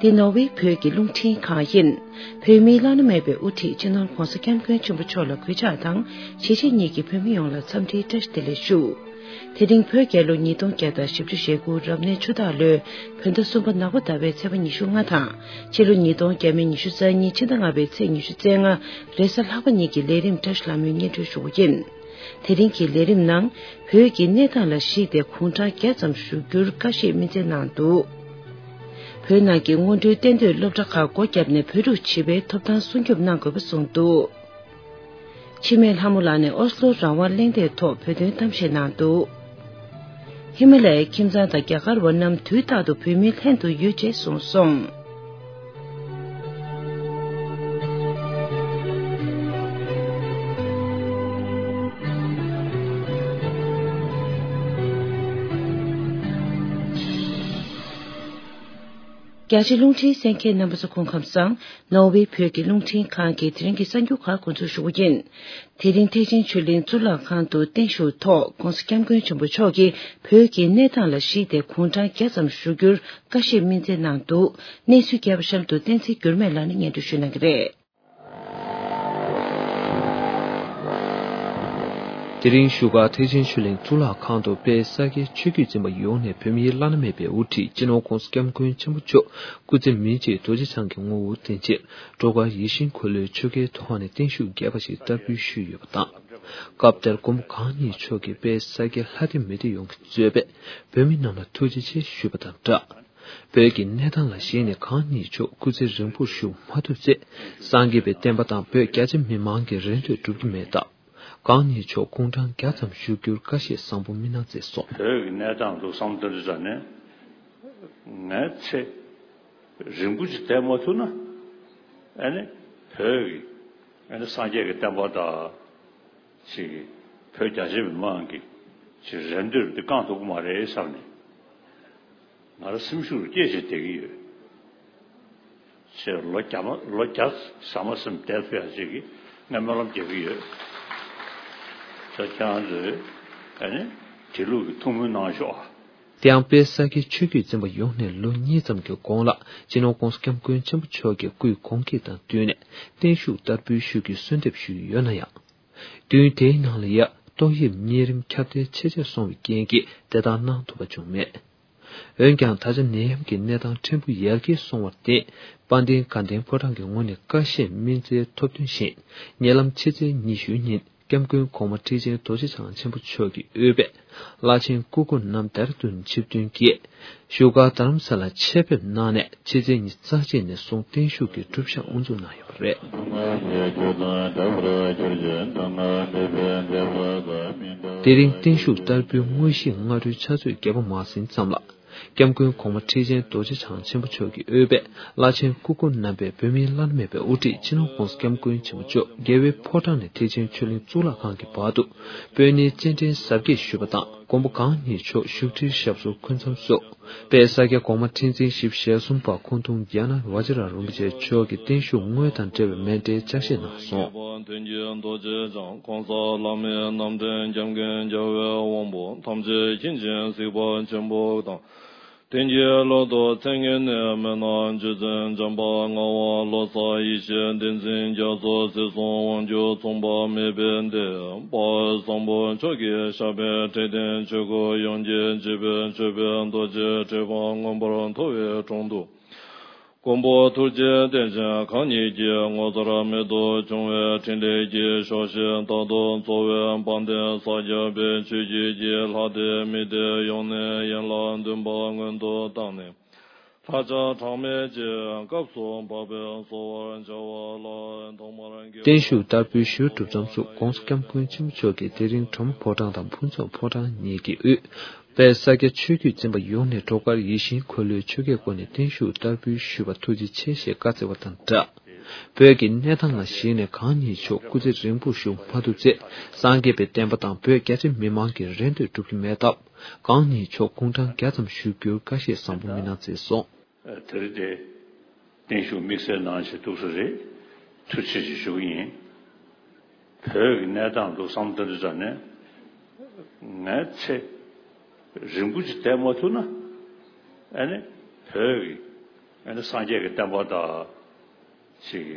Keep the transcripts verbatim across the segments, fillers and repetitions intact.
འདི་ནོར་ཝེ་བོད་ཀྱི་རླུང་འཕྲིན་ཁང་ཡིན། བོད་མིའི་བླ་ན་མེད་པའི་དབུ་ཁྲིད་སྤྱི་ནོར་ྋགོང་ས་ྋསྐྱབས་མགོན་ཆེན་པོ་མཆོག་ལ་གུས་ཕྱག་དང་གཞིས་བྱེས་གཉིས་ཀྱི་བོད་མི་ཡོངས་ལ་འཚམས་འདྲིའི་བཀྲ་ཤིས་བདེ་ལེགས་ཞུ། དེ་རིང་བོད་རྒྱལ་ལོ་ཉིས་སྟོང་བརྒྱ་དང་བཞི་བཅུ་ཞེ་དགུ་རབ་གནས་ཆུ་སྟག་ལོའི་བོད་ཟླ་གསུམ་པ་ནག་པ་ཟླ་བའི་ཚེས་པ་ཉི་ཤུ་ལྔ་དང་ཕྱི་ལོ་ཉིས་སྟོང་བརྒྱ་མེད་ཉི་ཤུ་རྩ་གཉིས་ཕྱི་ཟླ་ལྔ་པའི་ཚེས་ཉི་ཤུ་རྩ་ལྔ་རེས་གཟའ་ལྷག་པ་ཉིན་གྱི་ལས་རིམ་བཀྲ་ཤིས་ལྷ་མོའི་སྙན་སྒྲོན་ཞུ་རྒྱུ་ཡིན། དེ་རིང་གི་ལས་རིམ་ནང་བོད་ཀྱི་གནས་སྟངས་ལ་གཞིགས་ཏེ་གུང་ཁྲན་བརྒྱ་ཙམ་བཞུགས་རྒྱུར་བཀའ་བཞེས་སྨིན་སྩལ་གནང་འདུག་བོད་ནང་གི་སྔོན་འགྲོའི་གཏན་སྡོད་སློབ་གྲྭ་ཁག་སྒོ་བརྒྱབ་ནས་བོད་ཕྲུག་བྱིས་པའི་ཐོབ་ཐང་སྲུང་སྐྱོབ་གནང་དགོས་པ་གསུངས་འདུག་འཆི་མེད་ལྷ་མོ་ལགས་ནས་ཨོ་སློ་རང་དབང་གླེང་སྟེགས་ཐོག་བོད་དོན་གཏམ་བཤད་གནང་འདུག་ཧི་མ་ལ་ཡའི་ཁྱིམ་ཚང་དང་རྒྱ་གར་བ་རྣམས་དུས་རྟག་ཏུ་བོད་མིའི་ལྷན་དུ་ཡོད་ཅེས་གསུངས་སོང་། རྒྱ་ཆེ་རླུང་འཕྲིན་གསན་མཁན་རྣམ་པ་ཚོ་སྐུ་ཁམས་བཟང་། ནོར་ཝེ་བོད་ཀྱི་རླུང་འཕྲིན་ཁང་གི་དེ་རིང་གི་གསར་འགྱུར་ཁག་འགོ་འཛུགས་ཞུ་རྒྱུ་ཡིན། དེ་རིང་ཐེག་ཆེན་ཆོས་གླིང་གཙུག་ལག་ཁང་དུ་བརྟན་བཞུགས་ཐོག་ྋགོང་ས་ྋསྐྱབས་མགོན་ཆེན་པོ་མཆོག་གིས་བོད་ཀྱི་གནས་སྟངས་ལ་གཞིགས་ཏེ་གུང་ཁྲན་བརྒྱ་ཙམ་བཞུགས་རྒྱུར་བཀའ་བཞེས་སྨིན་སྩལ་གནང་འདུག་གནས་ཚུལ་རྒྱས་པ་གཤམ་དུ་བསྟན་འཛིན་འགྱུར་མེད་ལགས་ནས་སྙན་སྒྲོན་ཞུ་གནང་གི་རེད། དེ་རིང་བཞུགས་སྒར་ཐེག་ཆེན་ཆོས་གླིང་གཙུག་ལག་ཁང་དུ་དཔལ་ས་སྐྱའི་ཆོས་བརྒྱུད་འཛིན་པ་ཡོངས་ནས་བོད་མིའི་བླ་ན་མེད་པའི་དབུ་ཁྲིད་སྤྱི་ནོར་ྋགོང་ས་ྋསྐྱབས་མགོན་ཆེན་པོ་མཆོག་སྐུ་ཚེ་མི་མཇེད་རྡོ་རྗེ་འཆང་གི་ངོ་བོར་བརྟེན་ཆེད་སྒྲོལ་དཀར་ཡིད་བཞིན་འཁོར་ལོའི་ཆོ་གའི་ཐོག་ནས་བརྟན་བཞུགས་རྒྱས་པ་ཞིག་བསྟར་འབུལ་ཞུས་ཡོད་པ་དང་། སྐབས་དེར་མགོན་པོ་གང་ཉིད་མཆོག་གིས་དཔལ་ས་སྐྱའི་ལྷ་སྡེ་མི་སྡེ་ཡོངས་ཀྱི་གཙོས་པའི་བོད་མི་རྣམས་ལ་ཐུགས་རྗེ་ཆེ་ཞུས་པ་དང་སྦྲགས། བོད་ཀྱི་གནས་སྟངས་ལ་གཞིགས་ནས་གང་ཉིད་མཆོག་སྐུ་ཚེ་རིང་པོར་བཞུགས་མ་ཐུབ་ཚེ། སངས་རྒྱས་པའི་བསྟན་པ་དང་བོད་རྒྱ་ཆེ་མི་མང་གི་རེ་འདོད་འགྲུབ་ཀྱི་མེད་སྟབས། གང་ཉིད་མཆོག་གུང་ཁྲན་བརྒྱ་ཙམ་བཞུགས་རྒྱུར་བཀའ་བཞེས་བཟང་པོ་སྨིན་གནང་མཛད་སོང་། བོད་ཀྱི་གནས་སྟངས་འདུག་བསམ་ཐུབ་ཙང་ནས། ངའི་ཚེ་རིང་པོ་ཅིག་བསྡད་མ་ཐུབ་ན། ཨ་ནི་བོད་ཀྱི་ཨ་ནི་སངས་རྒྱས་ཀྱི་བསྟན་པ་དང་། ཅིག་བོད་རྒྱ་ཆེ་མི་མང་གི་ཅིག་རེ་འདོད་འདི་བསྐང་ཐུབ་ཀྱི་མ་རེད་བསམ་ནས། ང་རང་སེམས་ཤུགས་སྐྱེད་བྱས་བསྡད་ཀྱི་ཡོད། ཅེས་ལོ་བརྒྱ་མ་ལོ་བརྒྱ་ཟ་མ་ཟིན་བསྡད་ཐུབ་ཡག་ཅིག་གི་ངས་སྨོན་ལམ་རྒྱག་གི་ཡོད། ད་ཁྱེད་རང་ཚོས་ཨ་ནི་དེ་ལུགས་ཀྱི་ཐུགས་སྨོན་གནང་ཤོག་ཨ། དེ་ཡང་དཔལ་ས་སྐྱའི་ཆོས་བརྒྱུད་འཛིན་པ་ཡོངས་ནས་ལོ་གཉིས་ཙམ་གྱི་གོང་ལ་སྤྱི་ནོར་ྋགོང་ས་ྋསྐྱབས་མགོན་ཆེན་པོ་མཆོག་གི་སྐུའི་དགོངས་བཀོད་དང་བསྟུན་ནས་བརྟན་བཞུགས་བསྟར་འབུལ་ཞུ་རྒྱུའི་གསོལ་འདེབས་ཞུས་ཡོད་ན་ཡང་། བདུན་དེའི་ནང་ལ་ཡ་ཏོག་དབྱིབས་གཉན་རིམས་ཁྱབ་གདལ་ཆེ་ཆེར་སོང་བའི་རྐྱེན་གྱིས་དེ་ལྟར་གནང་ཐུབ་པ་བྱུང་མེད། འོན་ཀྱང་ད་ཆ་ནད་ཡམས་ཀྱི་གནས་སྟངས་ཕྲན་བུ་ཡར་རྒྱས་སོང་བར་བརྟེན། དཔལ་ལྡན་དགའ་ལྡན་ཕོ་བྲང་གི་ངོས་ནས་བཀའ་བཞེས་སྨིན་སྩལ་ཐོབ་དོན་བཞིན་ཉེ་ལམ་ཕྱི་ཚེས་ཉི་ཤུའི་ཉིན་སྐྱབས་མགོན་གོང་མ་ཁྲི་ཆེན་རྡོ་རྗེ་འཆང་ཆེན་པོ་མཆོག་གི་དབུས་པའི་བླ་ཆེན་སྐུ་འཁོར་རྣམས་ལྡེ་ར་ལྡུན་ཆིབས་ཐོན་གྱིས་བཞུགས་སྒར་རྡ་རམ་ས་ལར་ཆེད་ཕེབས་གནང་ནས་ཕྱི་ཚེས་ཉི་ཤུ་རྩ་གཅིག་ནས་བཟུང་བརྟན་བཞུགས་ཀྱི་སྒྲུབ་ཞག་དབུ་འཛུགས་གནང་ཡོད་པ་རེད། དེ་རིང་བརྟན་བཞུགས་བསྟར་འབུལ་དངོས་གཞིའི་སྔ་དྲོའི་ཕྱག་ཚོད་བརྒྱད་པ་མ་ཟིན་ཙམ་ལ། སྐྱབས་མགོན་གོང་མ་ཁྲི་ཆེན་རྡོ་རྗེ་འཆང་ཆེན་པོ་མཆོག་གི་དབུས་པའི་བླ་ཆེན་སྐུ་འཁོར་རྣམ་པས་བོད་མིའི་བླ་ན་མེད་པའི་དབུ་ཁྲིད་སྤྱི་ནོར་ྋགོང་ས་ྋསྐྱབས་མགོན་ཆེན་པོ་མཆོག་རྒྱལ་བའི་ཕོ་བྲང་ནས་ཐེག་ཆེན་ཆོས་གླིང་གཙུག་ལག་ཁང་གི་བར་དུ་སྤོས་སྣེའི་སྤྱན་འདྲེན་གཟབ་རྒྱས་ཞུས་པ་དང་། མགོན་པོ་གང་ཉིད་མཆོག་བཞུགས་ཁྲིར་ཞབས་སོར་འཁོད་མཚམས་སུ། དཔལ་ས་སྐྱ་གོང་མ་ཁྲི་འཛིན་བཞི་བཅུ་ཞེ་གསུམ་པ་ཁོང་ཐུང་ཛྙཱ་ན་བཛྲ་རིན་པོ་ཆེ་མཆོག་གིས་བརྟན་བཞུགས་དངོས་དང་འབྲེལ་བའི་མཎྜལ་ཕྱག་བཞེས་གནང་སོང་། དོན་གྱི་རྡོ་རྗེ་འཆང་གོང་ས་ལྷ་མིའི་རྣམ་འདྲེན་སྐྱབས་མགོན་རྒྱལ་བའི་དབང་པོ་ཐམས་ཅད་མཁྱེན་ཅིང་གཟིགས་པ་ཆེན་པོ་དང་། དོན་གྱི་སློབ་ཏུ་ཚད་ངེས་ནས་མི་སྣང་རྗེ་བཙུན་འཇམ་དཔལ་ངག་དབང་བློ་གསལ་ཡེ་ཤེས་བསྟན་འཛིན་རྒྱ་མཚོ་ཚེ་གཟུངས་དབང་སྒྱུར་མཚུངས་པ་མེད་པའི་བདེ་བ་བཟང་པོ་མཆོག་གི་ཞབས་པད་ཕྲིན་ལྡན་ཆོས་སྐུ་ཡོངས་ཀྱི་སྤྱི་དཔལ་མཆོད་པའི་རྡོ་རྗེ་ཁྲི་པ་མངོན་པར་མཐོ་བའི་དྲུང་དུ། མགོན་པོ་ཐུགས་རྗེ་བརྟན་ཅིང་གང་ཉིད་ཀྱི་ངོ་མཚར་རྨད་དུ་བྱུང་བའི་འཕྲིན་ལས་ཀྱི་ཕྱོགས་བཞིར་རྟག་ཏུ་འཚོ་བའི་དཔལ་ལྡན་ས་སྐྱ་པའི་ཆོས་བརྒྱུད་ཀྱི་ལྷ་སྡེ་མི་སྡེ་ཡོངས་ནས་ཡན་ལག་བདུན་པ་སྔོན་དུ་བཏང་ནས། ལྷ་བྱ་གྲངས་མེད་ཀྱི་སྐབས་སུ་བབས་པས་གསོལ་བར་བྱ་བ་ལ་ཐོག་མར་དགེ། བརྟན་བཞུགས་བསྟར་འབུལ་ཞུ་གྲུབ་མཚམས་སུ་ྋགོང་ས་ྋསྐྱབས་མགོན་ཆེན་པོ་མཆོག་གིས་དེ་རིང་གྲོ་མོ་ཕོ་བྲང་དང་ཕུན་ཚོགས་ཕོ་བྲང་གཉིས་ཀྱི་དབུས། དཔལ་ས་སྐྱ་ཆོས་བརྒྱུད་འཛིན་པ་ཡོངས་ནས་སྒྲོལ་དཀར་ཡིད་བཞིན་འཁོར་ལོའི་ཆོ་གའི་སྒོ་ནས་བརྟན་བཞུགས་བསྟར་འབུལ་ཞུས་པར་ཐུགས་རྗེ་ཆེ་ཞེས་བཀའ་སྩལ་བ་དང་སྦྲགས། བོད་ཀྱི་གནས་སྟངས་ལ་གཞིགས་ནས་གང་ཉིད་མཆོག་སྐུ་ཚེ་རིང་པོར་བཞུགས་མ་ཐུབ་ཚེ། སངས་རྒྱས་པའི་བསྟན་པ་དང་བོད་རྒྱ་ཆེ་མི་མང་གི་རེ་འདོད་འགྲུབ་ཀྱི་མེད་སྟབས། གང་ཉིད་མཆོག་གུང་ཁྲན་བརྒྱ་ཙམ་བཞུགས་རྒྱུར་བཀའ་བཞེས་བཟང་པོ་སྨིན་གནང་མཛད་སོང་། དེ་རིང་དེ་བརྟན་བཞུགས་དམིགས་བསལ་གནང་བྱས་ཐུགས་སུ་རེ་ཐུགས་རྗེ་ཆེ་ཞུ་གི་ཡིན། བོད་ཀྱི་གནས་སྟངས་འདུག་བསམ་བློ་བཏང་དུས་ཙམ་ནས་ངའི་ཚེ་རིང་པོ་ཅིག་བསྡད་མ་ཐུབ་ན། ཨ་ནི་བོད་ཀྱི་ ཨ་ནི་སངས་རྒྱས་ཀྱི་བསྟན་པ་དང་ཅིག་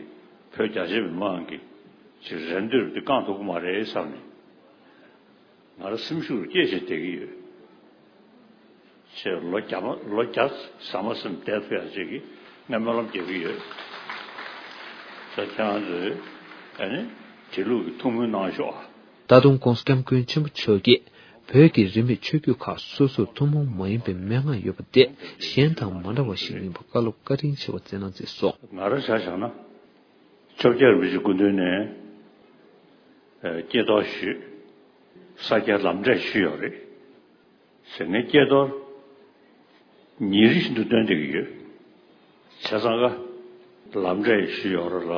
བོད་རྒྱ་ཆེ་མི་མང་གི་ཅིག་རེ་འདོད་དེ་བསྐང་ཐུབ་ཀྱི་མ་རེད་བསམ་ནས། ང་རང་སེམས་ཤུགས་སྐྱེད་བྱེད་བསྡད་ཀྱི་ཡོད། ཅེས་ལོ་བརྒྱ་མ་ལོ་བརྒྱ་ཟ་མ་ཟིན་བསྡད་ཐུབ་ཡག་ཅིག་གི་ངས་སྨོན་ལམ་རྒྱག་གི་ཡོད། ད་ཁྱེད་རང་ཚོས་ཨ་ནི་དེ་ལུགས་ཀྱི་ཐུགས་སྨོན་གནང་ཤོག་ཨ། ད་དུང་༸གོང་ས་༸སྐྱབས་མགོན་ཆེན་པོ་མཆོག་གིས་བོད་ཀྱི་རིས་མེད་ཆོས་བརྒྱུད་ཁག་སོ་སོར་ཐུན་མོང་མ་ཡིན་པའི་མན་ངག་ཡོད་པ་དེ་གཞན་དང་མ་འདྲ་བ་ཞིག་ཡིན་པ་བཀའ་སློབ་བཀའ་དྲིན་ཆེ་བ་བསྩལ་གནང་མཛད་སོང་། ང་རང་ཆ་བཞག་ན། ཆོས་རྒྱལ་རིན་པོ་ཆེ་སྐུ་མདུན་ནས་ཨ་སྐྱེས་རྟོགས་ཞུས། ས་སྐྱའི་ལམ་འབྲས་ཞུས་ཡོད་རེད། ཟེར་ནས་སྐྱེས་རྟོགས་ཉིན་རེ་བཞིན་དུ་སྟོན་བསྡད་ཀྱི་ཡོད། བྱས་ཙང་ཀ་ལམ་འབྲས་ཞུས་ཡོད་རེད་ལ།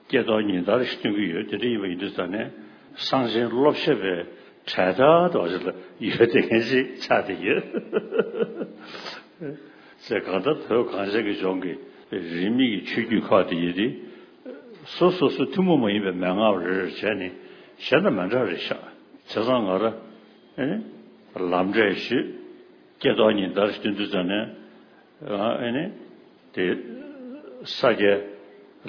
སྐྱེས་རྟོགས་ཉིན་ལྟར་ཞིག་སྟོན་གྱི་ཡོད། དེ་འདྲ་ཡིན་པ་ཡིན་དུས་ཙང་ནས་གསང་ཆེན་སློབ་བཤད་པའི་གྲལ་མཐའ་དེ་བ་ཞིག་ལ་ཡོད་བསྡད་མཁན་ཞིག་ཆགས་བསྡད་ཡོད། ཟེར་གང་ལྟར་བོད་གངས་ཅན་གྱི་ལྗོངས་ཀྱི་རིས་མེད་ཀྱི་ཆོས་བརྒྱུད་ཁག་དེ་ཡིན་ཏེ། སོ་སོ་སོ་ཐུན་མོང་མ་ཡིན་པའི་མན་ངག་རེ་རེ་བྱས་ནས་གཞན་དང་མི་འདྲ་རེད་ཤག་བྱས་ཙང་ང་རང་ཨེ་ནི་ལམ་འབྲས་ཞུས། སྐྱེས་རྟོགས་ཉིན་ལྟར་སྟོན་དུས་ཙམ་ནས་ཨེ་ནི་དེ་ས་སྐྱའི་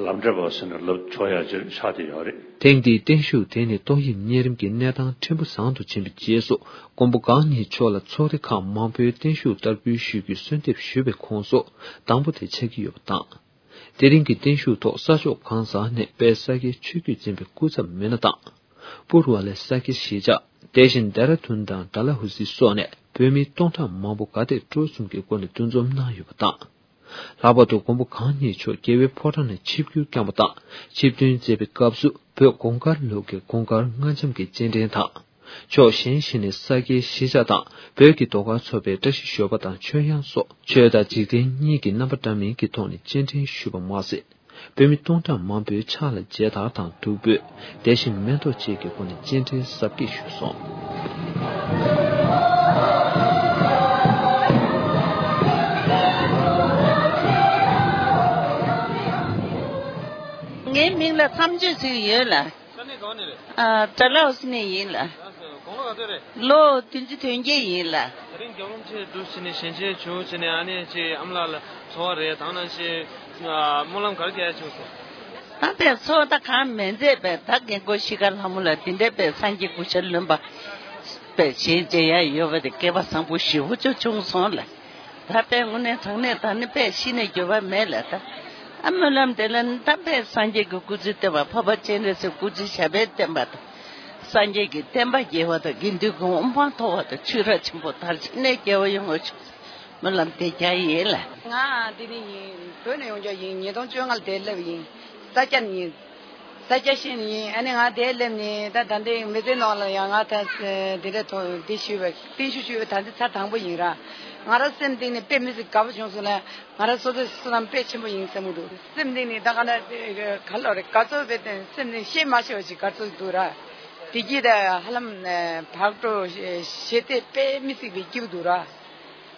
ལམ་འབྲས་པ་ཟེར་ནས་ལབ་ཆོག་ཡག་ཅིག་ཆགས་བསྡད་ཡོད་རེད། ཐེངས་འདིའི་བརྟན་བཞུགས་དེ་ནི་ཏོག་དབྱིབས་གཉན་རིམས་ཀྱི་གནས་སྟངས་ཕྲན་བུ་བཟང་དུ་ཕྱིན་པའི་རྗེས་སུ་མགོན་པོ་གང་ཉིད་མཆོག་ལ་ཚོགས་སྡེ་ཁག་མང་པོའི་བརྟན་བཞུགས་བསྟར་འབུལ་ཞུ་རྒྱུའི་གསོལ་འདེབས་ཞུས་པའི་ཁོངས་སུ་དང་པོ་དེ་ཆགས་ཀྱི་ཡོད་པ་དང་། དེ་རིང་གི་བརྟན་བཞུགས་ཐོག་ས་ཕྱོགས་གང་ས་ནས་དཔལ་ས་སྐྱའི་ཆོས་བརྒྱུད་འཛིན་པའི་སྐུ་ཚབ་མི་སྣ་དང་། པུར་བ་ལས་ས་སྐྱའི་གཞིས་ཆགས། དེ་བཞིན་ལྡེ་ར་ལྡུན་དང་ཌལ་ཧོ་སི་སོགས་ནས་བོད་མི་སྟོང་ཕྲག་མང་པོ་ག་དེ་འགྲོ་གསུམ་གྱི་སྒོ་ནས་འདུ་འཛོམས་གནང་ཡོད་པ་དང་། ལྷག་པར་དུ་མགོན་པོ་གང་ཉིད་མཆོག་རྒྱལ་བའི་ཕོ་བྲང་ནས་ཆིབས་བསྒྱུར་བསྐྱངས་པ་དང་ཆིབས་ཐོན་མཛད་པའི་སྐབས་སུ་བོད་གོང་དཀར་ལུགས་ཀྱི་གོང་དཀར་རྔ་འབྱམས་ཀྱི་སྤྱན་འདྲེན་དང་། ཕྱོགས་གཞན་ཞིག་ནས་ས་སྐྱའི་གཞིས་ཆགས་དང་བོད་ཀྱི་ཟློས་གར་ཚོགས་པའི་བཀྲ་ཤིས་ཞོལ་པ་དང་ཆོས་དབྱངས་སོགས་ཆོས་དང་འཇིག་རྟེན་གཉིས་ཀྱི་རྣམ་པ་འདྲ་མིན་གྱི་ཐོག་ནས་སྤྱན་འདྲེན་ཞུས་པ་མ་ཟད། བོད་མི་སྟོང་ཕྲག་མང་པོའི་ཕྱག་ལ་མཇལ་དར་དང་བདུག་སྤོས། དེ་བཞིན་མེ་ཏོག་བཅས་ཀྱི་སྒོ་ནས་སྤྱན་འདྲེན་གཟབ་རྒྱས་ཞུས་སོང་། ངའི་མིང་ལ་མཚམས་གཅོད་ཟེར་གྱི་ཡོད་ལ། ས་གནས་གང་ནས་རེད། ཨ། ཌལ་ཧོ་སི་ནས་ཡིན་ལ། ལགས་སོ། དགུང་ལོ་ག་ཚོད་རེད། ལོ་བདུན་ཅུ་དོན་བརྒྱད་ཡིན་ལ། དེ་རིང་རྒྱབ་ལོངས་ཆེ་འདུག་ཟེར་ནས་ཞལ་མཇལ་བྱུང་ཟེར་ནས་ཨ་ནེ་ཅེ་ཨ་མ་ལགས་ལ་ཚོར་བ་རེད། དང་ནང་བཞིན་སྨོན་ལམ་ག་རེ་རྒྱག་ཡ་བྱུང་སོང་། ད་པས་ཚོར་བ་ད་གང་མེད་མཛད་པས། ད་རྒན་གོག་ཤི་ཁ་ལྷ་མོ་ལ་དེ་འདྲའི་པས་སངས་རྒྱས་སྐུ་ཤ་རློན་པ་པས་ཞལ་མཇལ་ཡ་ཡོད་པ་དེ་སྐལ་བ་བཟང་པོ་ཞེ་པོ་ཅིག་བྱུང་སོང་ལ། ད་པས་དངོས་གནས་དྲང་གནས་ད་ནི་པས་ཤི་ནས་འགྱོད་པ་མེད་ལ། ད་ཨ་སྨོན་ལམ་དེ་ལ་ནི་ད་པས་སངས་རྒྱས་ཀྱི་སྐུ་ཚེ་བརྟན་པ། འཕགས་པ་སྤྱན་རས་གཟིགས་སྐུ་ཚེ་ཞབས་པད་བརྟན་པ་དང་། སངས་རྒྱས་ཀྱི་བསྟན་པ་རྒྱས་པ་དང་། དགེ་འདུན་གྱི་དབུ་འཕང་མཐོ་བ་དང་། ཆོས་རབ་ཆེན་པོ་དར་ཞིང་གནས་རྒྱས་པ་ཡོང་བ་ཤོག་ཟེར་སྨོན་ལམ་དེ་རྒྱག་ཡིན་ལ། ང་འདི་ནས་ཡིན། བོད་ནས་ཡོང་རྒྱུ་ཡིན། ཉིས་སྟོང་བཅོ་ལྔ་ལ་དེ་སླེབས་ཡིན། ས་སྐྱ་ནས་ཡིན། ས་སྐྱ་ཤན་ཡིན། ཨ་ནི་ང་དེ་སླེབས་ནས་ད་ད་ལྟའི་མི་ཚེ་ནང་ལ་ཡང་ང་ད་དེ་འདྲ་ཐོག་འདི་ཞུས་པ་བརྟན་བཞུགས་ཞུས་པ་ད་འདི་ཚར་དང་པོ་ཡིན་ར། ང་རང་སེམས་གཏིང་ནས་དཔེ་མི་སྲིད་དགའ་པོ་བྱུང་སོང་ལ། ང་རང་སོ་སོའི་བསོད་ནམས་དཔེ་ཆེན་པོ་ཡིན་བསམ་གྱི་འདུག་སེམས་གཏིང་ནས་ད་ག་ན་ག་ལོ་རེ་དགའ་ཚོར་བའི་སྟེང་སེམས་ནས་བཤད་མ་ཤེས་པ་ཞིག་དགའ་ཚོར་འདུག་ར། བདེ་སྐྱིད་ད་ཧ་ལམ་བག་དྲོ་ཞེ་སྡང་དཔེ་མི་སྲིད་པའི་སྐྱིད་པོ་འདུག་ར།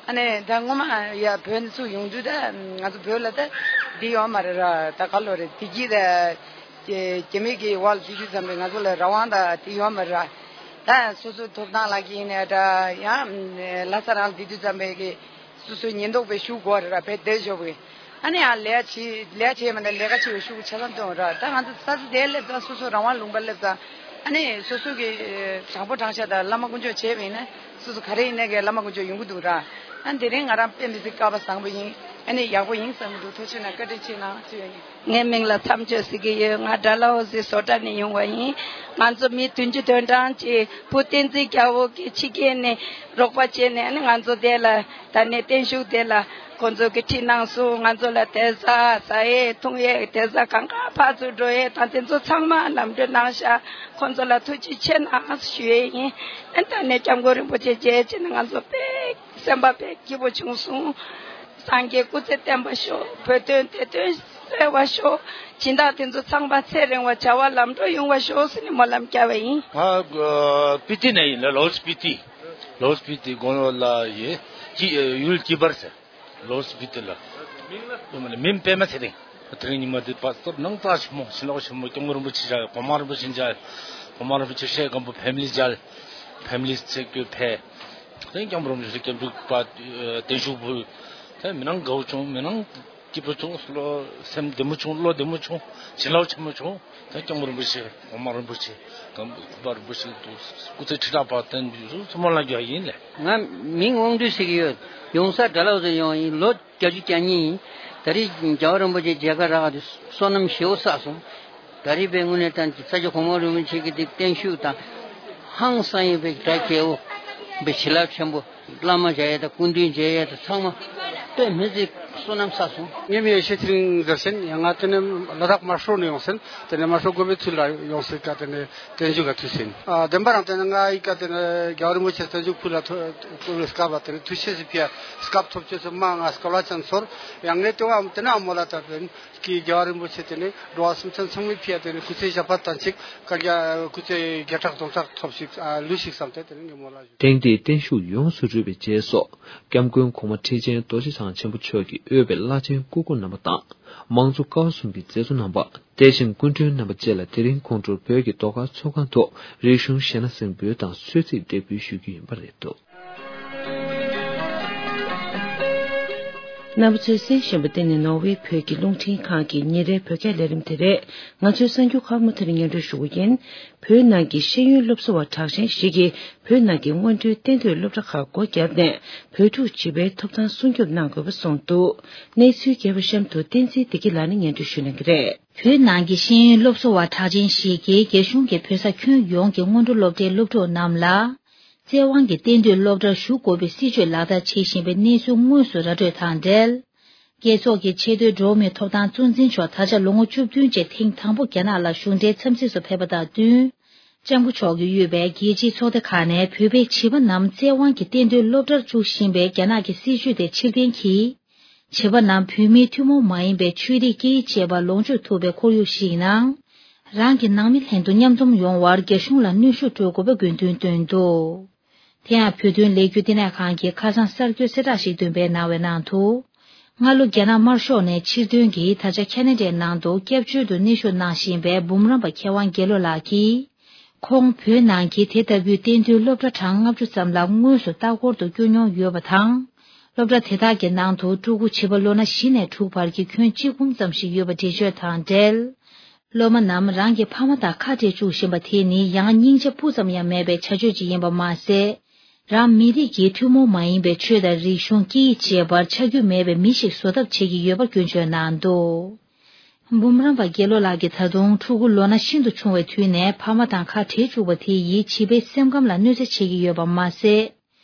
ཨ་ནི་ད་སྔོན་མ་ཡ་བོད་ནས་ཚུར་ཡོང་དུས་ད་ང་ཚོ་བོད་ལ་ད་འདི་ཡོད་མ་རེད་ར། ད་ག་ལོ་རེད། བདེ་སྐྱིད་ད་རྒྱ་མི་གི་འོག་ལ་འཛུལ་དུས་ཙམ་པས་ང་ཚོ་ལ་རང་དབང་ད་འདི་ཡོད་མ་རེད་ར། ད་སོ་སོའི་ཐོབ་ཐང་ལ་གིན་ནས་ད་ཡང་ལྷ་ས་རང་ལ་བསྡད་དུས་ཙམ་པས་གི་སོ་སོའི་ཉེན་རྟོག་པའི་ཤུགས་དགོས་རེད་ར། བས་དེ་ཞོག་པའི་ཨ་ནི་ཡང་ལས་བྱེད་ལས་བྱེད་མ་ནས་ལས་ཀ་བྱེད་པའི་ཤུགས་ཆ་ཚང་གཏོང་ར། ད་ང་ཚོ་ས་ས་དེ་སླེབས་ཙང་སོ་སོ་རང་དབང་ལུང་པ་སླེབས་ཙང་ཨ་ནི་སོ་སོ་གི་དྲང་པོ་དྲང་བཞག་དང་བླ་མ་དཀོན་མཆོག་བྱས་པ་ཡིན་ན་སོ་སོ་ག་རེ་ཡིན་ནའི་གི་བླ་མ་དཀོན་མཆོག་ཡོང་གི་འདུག་ར། ཨ་དེ་རིང་ང་རང་དཔེ་མི་སྲིད་སྐལ་བ་བཟང་པོ་ཡིན། ཨ་ནི་ཡག་པོ་ཡིན་བསམ་གི་འདུག་ཐུགས་རྗེ་གནང་། བཀའ་དྲིན་ཆེ་གནང་ཞུ་ཡ་ཡིན། ངའི་མིང་ལ་མཚམས་གཅོད་ཟེར་གྱི་ཡོད། ང་ཌལ་ཧོ་སི་བཟོ་གྲྭ་ནས་ཡོང་བ་ཡིན། ང་ཚོ་མི་བདུན་ཅུ་དོན་གྲངས་ཀྱི་བུ་བསྟན་འཛིན་རྒྱལ་པོ་གི་ཕྱི་རྒྱལ་ནས་རོགས་པ་བྱས་ནས་ཨ་ནི་ང་ཚོ་དེ་ལ་ད་ནས་བརྟན་བཞུགས་དེ་ལ་ཁོང་ཚོ་གི་ཁྲིད་གནང་སོང་། ང་ཚོ་ལ་བསྡད་ས་ཟ་ཡས་འཐུང་ཡས་བསྡད་ས་གང་ག་ཕར་ཚུར་འགྲོ་ཡས་དང་དེ་ཚོ་ཚང་མ་ལམ་འགྲོ་གནང་ཤག་ཁོང་ཚོ་ལ་ཐུགས་རྗེ་ཆེ་གནང་ཞུ་ཡས་ཡིན། ཨ་ད་ནས་སྐྱབས་མགོན་རིན་པོ་ཆེ་མཇལ་བྱས་ནས་ང་ཚོ་དཔེ་སེམས་པ་དཔེ་སྐྱིད་པོ་བྱུང་སོང་། སངས་རྒྱས་སྐུ་ཚེ་བརྟན་པ་ཤོག་བོད་དོན་བདེ་དོན་གསལ་བ་ཤོག་སྦྱིན་བདག་དེ་ཚོ་ཚང་མ་ཚེ་རིང་བ་བྱ་བ་ལམ་འགྲོ་ཡོང་བ་ཤོག་ཟེར་ནས་སྨོན་ལམ་བརྒྱབ་པ་ཡིན། ང་ཨ་སྤི་ཏི་ནས་ཡིན་ལ། ལའོ་སྤི་ཏི། ལའོ་སྤི་ཏི་དགོན་པ་ལ་ཡིན། ཀྱི་ཡུལ་ཀྱི་བར་ཟེར། ལའོ་སྤི་ཏི་ལ། མིང་པད་མ་ཚེ་རིང་། དེ་རིང་ཉི་མ་འདི་བར་སྐབས་ནང་རྩ་ཆེན་མོ་ཞིང་ལོག་ཆེན་མོ་སྐྱབས་མགོན་རིན་པོ་ཆེ་མཇལ། གོང་མ་རིན་པོ་ཆེ་མཇལ། གོང་མ་རིན་པོ་ཆེ་སྲས་སྒམ་པོ་ཕེ་མི་ལི་མཇལ། ཕེ་མི་ལི་ཚེ་བཀོད་ཕེ། དེ་སྐྱབས་མགོན་རིན་པོ་ཆེ་སྐྱབས་འཇུག་པ་བརྟན་བཞུགས་ཕུལ། དེ་མི་ནང་དགའ་བོ་བྱུང་། མི་ནང་ སྐྱིད་པོ་བྱུང་། བློ་སེམས་བདེ་མོ་བྱུང་། བློ་བདེ་མོ་བྱུང་། བྱིན་རླབས་ཆེན་པོ་བྱུང་། ད་སྐྱབས་མགོན་རིན་པོ་ཆེ། གོང་མ་རིན་པོ་ཆེ། གོང་མ་རིན་པོ་ཆེ་དང་སྐུ་ཚེ་ཁྲི་ཕྲག་བར་བརྟན་པའི་ཚུལ་ཚང་མ་ལ་རྒྱག་ཡིན་ལེ། ང་མིང་དབང་འདུས་ཟེར་གྱི་ཡོད། ཡོང་ས་དགྲ་ལོག་ཏུ་ཡོང་ཡིན། ལོ་བརྒྱད་ཅུ་གྱ་གཉིས་ཡིན། ད་རེས་རྒྱལ་བ་རིན་པོ་ཆེ་མཇལ་ཁ་རག་དུས་བསོད་ནམས་ཞེ་པོ་བསགས་སོང་། ད་རེས་པའི་དངོས་གནས་དྲན་གྱི་ས་སྐྱ་གོང་མ་རིན་པོ་ཆེ་གི་དེ་བརྟན་བཞུགས་དང་། ཧང་སང་ཡིན་པའི་གྲ་རྒྱས་པོ། བའི་བྱིན་རླབས་ཆེན་པོ། བླ་མ་མཇལ་ཡས་དང་སྐུ་མདུན་མཇལ་ཡས་དང་ཚང་མ་དཔེ་མི་སྲིད་བསོད་ནམས་བསགས་སོང་། ངའི་མིང་ཡེ་ཤེས་ཚེ་རིང་ཟེར་ཟིན། ཡང་ང་དེ་ནས་ལ་དྭགས་དམར་ཤོག་ནས་ཡོང་ཟིན། དེ་ནས་དམར་ཤོག་དགོན་པའི་ཚུལ་ལ་ཡོང་ཟིན་ཀ་དེ་ནས་བརྟན་བཞུགས་ག་ཐུག་ཟིན། ཨ་བདེན་པ་རང་དེ་ནས་ང་ཡི་ཀ་དེ་ནས་རྒྱལ་བ་རིན་པོ་ཆེ་བརྟན་བཞུགས་ཕུལ་ལ་ཐོ་ཐོ་བའི་སྐབས་ལ་དེ་ནས་ཐུགས་ཆེ་ཟིན་ཕིའ་སྐབས་ཐོབ་ཆེ་ཟིན་མ་ང་སྐལ་བ་ཅན་ཚོར། ཡང་ངས་དེ་བ་དེ་ནས་ཨ་མོ་ལ་ད་དེ་ནས་ཀྱི་རྒྱལ་བ་རིན་པོ་ཆེ་དེ་ནས་འགྲོ་བ་སེམས་ཅན་ཚང་མའི་ཕིའ་དེ་ནས་སྐུ་ཚེ་ཞབས་པད་དང་གཅིག་བཀའ་རྒྱ་སྐུ་ཚེ་བརྒྱ་ཕྲག་སྟོང་ཕྲག་ཐོབ་ཞིག་ལུས་ཤིག་བསམ་སྟེ་དེ་ནས་ངས་མོ་ལ་ཞུ། ཐེངས་འདིའི་བརྟན་བཞུགས་ཡོངས་སུ་གྲུབ་པའི་རྗེས་སུ། སྐྱབས་མགོན་གོང་མ་ཁྲི་ཆེན་རྡོ་རྗེ་འཆང་ཆེན་པོ་མཆོག་གིས་དབུས་པའི་བླ་ཆེན་སྐུ་འཁོར་རྣམ་པ་དང་། དམངས་གཙོ་ཀ་བ་གསུམ་གྱི་མཛད་གཙོ་རྣམ་པ། དེ་བཞིན་སྐུ་མགྲོན་རྣམ་པ་བཅས་ལ་དེ་རིང་ཁོང་ཁྲོ་བོད་ཀྱི་ཟློས་གར་ཚོགས་ཁང་དུ་རིག་གཞུང་གཞས་སྣ་གཟིགས་འབུལ་དང་གསོལ་ཚིགས་འདེགས་འབུལ་ཞུ་རྒྱུ་ཡིན་པ་རེད་འདུག། རྣམ་པ་ཚོས་གསན་བཞིན་པ་འདི་ནི་ནོར་ཝེ་བོད་ཀྱི་རླུང་འཕྲིན་ཁང་གི་ཉིན་རེའི་བོད་སྐད་ལས་རིམ་དེ་རེད། ང་ཚོའི་གསར་འགྱུར་ཁག་མུ་མཐུད་སྙན་སྒྲོན་ཞུ་གི་ཡིན། བོད་ནང་གི་ཤེས་ཡོན་སློབ་གསོ་བ་གྲགས་ཅན་ཞིག་གིས་བོད་ནང་གི་སྔོན་འགྲོའི་གཏན་སྡོད་སློབ་གྲྭ་ཁག་སྒོ་བརྒྱབ་ནས་བོད་ཕྲུག་བྱིས་པའི་ཐོབ་ཐང་སྲུང་སྐྱོབ་གནང་དགོས་པ་གསུངས་འདུག། གནས་ཚུལ་རྒྱས་པ་གཤམ་དུ་བསྟན་འཛིན་བདེ་སྐྱིད་ལགས་ནས་སྙན་སྒྲོན་ཞུ་གནང་གི་རེད། བོད་ནང་གི་ཤེས་ཡོན་སློབ་གསོ་བ་གྲགས་ཅན་ཞིག་གིས་རྒྱ་གཞུང་གིས་བོད་ས་ཁྱོན་ཡོངས་ཀྱི་སྔོན་འགྲོ་སློབ་གྲྭའི་སློབ་ཕྲུག་རྣམས་ལ། བཙན་དབང་གིས་གཏན་སྡོད་སློབ་གྲྭར་ཞུགས་དགོས་པའི་སྲིད་བྱུས་ལག་བསྟར་བྱེད་བཞིན་པའི་གནས་ཚུལ་དངོས་སུ་ར་སྤྲོད་དང་འབྲེལ། རྒྱལ་ཚོགས་ཀྱི་ཆེས་མཐོའི་འགྲོ་བ་མིའི་ཐོབ་ཐང་གཙོ་འཛིན་མཆོག་ད་ཆ་ལོ་ངོ་བཅུ་བདུན་རྗེས་ཐེངས་དང་པོ་རྒྱ་ནག་ལ་གཞུང་འབྲེལ་འཚམས་གཟིགས་སུ་ཕེབས་པ་དང་བསྟུན། ལྕམ་སྐུ་མཆོག་གིས་དབུས་པའི་རྒྱལ་སྤྱིའི་ཚོགས་སྡེ་ཁག་ནས་བོད་པའི་བྱིས་པ་རྣམས་བཙན་དབང་གིས་གཏན་སྡོད་སློབ་གྲྭར་བཅུག་བཞིན་པའི་རྒྱ་ནག་གི་སྲིད་བྱུས་དེ་ཕྱིར་འཐེན་གྱིས། བྱིས་པ་རྣམས་བོད་མིའི་ཐུན་མོང་མ་ཡིན་པའི་ཆོས་རིག་སྐད་ཡིག་བཅས་པ་ལོངས་སྤྱོད་ཐུབ་པའི་ཁོར་ཡུག་ཞིག་ནང་། རང་གི་ནང་མི་ལྷན་དུ་མཉམ་འཛོམས་ཡོང་བར་རྒྱ་གཞུང་ལ་གནོན་ཤུགས་སྤྲོད་དགོས་པའི་དགོས་འདུན་བཏོན་འདུག། དེ་ཡང་བོད་དོན་ལས་འགུལ་བསྟི་གནས་ཁང་གིས་ཁ་སང་གསར་འགྱུར་གསལ་བསྒྲགས་ཤིག་འདོན་པའི་གནང་བའི་ནང་དུ། སྔ་ལོ་རྒྱ་ནག་དམར་ཤོག་ནས་ཕྱིར་ཐོན་གྱིས་ད་ཆ་ཁ་ན་ཌའི་ནང་དུ་སྐྱབས་བཅོལ་དུ་གནས་བཞུགས་གནང་བཞིན་པའི་འབུམ་རམས་པ་མཁས་དབང་དགེ་བློ་ལགས་ཀྱིས། ཁོང་བོད་ནང་གི་དེ་ལྟ་བུའི་གཏན་སྡོད་སློབ་གྲྭ་གྲངས་ལྔ་བཅུ་ཙམ་ལ་དངོས་སུ་ལྟ་སྐོར་དུ་བསྐྱོད་མྱོང་ཡོད་པ་དང་། སློབ་གྲྭ་དེ་དག་གི་ནང་དུ་ཕྲུ་གུ་བྱིས་པ་ལོ་ན་བཞི་ནས་དྲུག་བར་གྱི་ཁྱོན་གཅིག་འབུམ་ཙམ་ཞིག་ཡོད་པ་འགྲེལ་བརྗོད་དང་འབྲེལ། སློབ་མ་རྣམས་རང་གི་ཕ་མ་དང་ཁ་བྲལ་བཅུག་བཞིན་པ་དེ་ནི་ཡང་སྙིང་རྗེ་སྤུ་ཙམ་ཡང་མེད་པའི་བྱ་སྤྱོད་ཅིག་ཡིན་པ་མ་ཟད། རང་མི་རིགས་ཀྱི་ཐུན་མོང་མ་ཡིན་པའི་ཆོས་དང་རིག་གཞུང་སྐད་ཡིག་བཅས་པར་ཆ་རྒྱུས་མེད་པའི་མི་ཞིག་བཟོ་ཐབས་བྱེད་ཀྱི་ཡོད་པར་སྐྱོན་བརྗོད་གནང་འདུག། འབུམ་རམས་པ་དགེ་བློ་ལགས་ཀྱིས་ད་དུང་ཕྲུ་གུ་ལོ་ན་ཤིན་ཏུ་ཆུང་བའི་དུས་ནས་ཕ་མ་དང་ཁ་བྲལ་བཅུག་པ་དེ་ཡིས་བྱིས་པའི་སེམས་ཁམས་ལ་གནོད་འཚེ་བྱེད་ཀྱི་ཡོད་པ་མ་ཟད།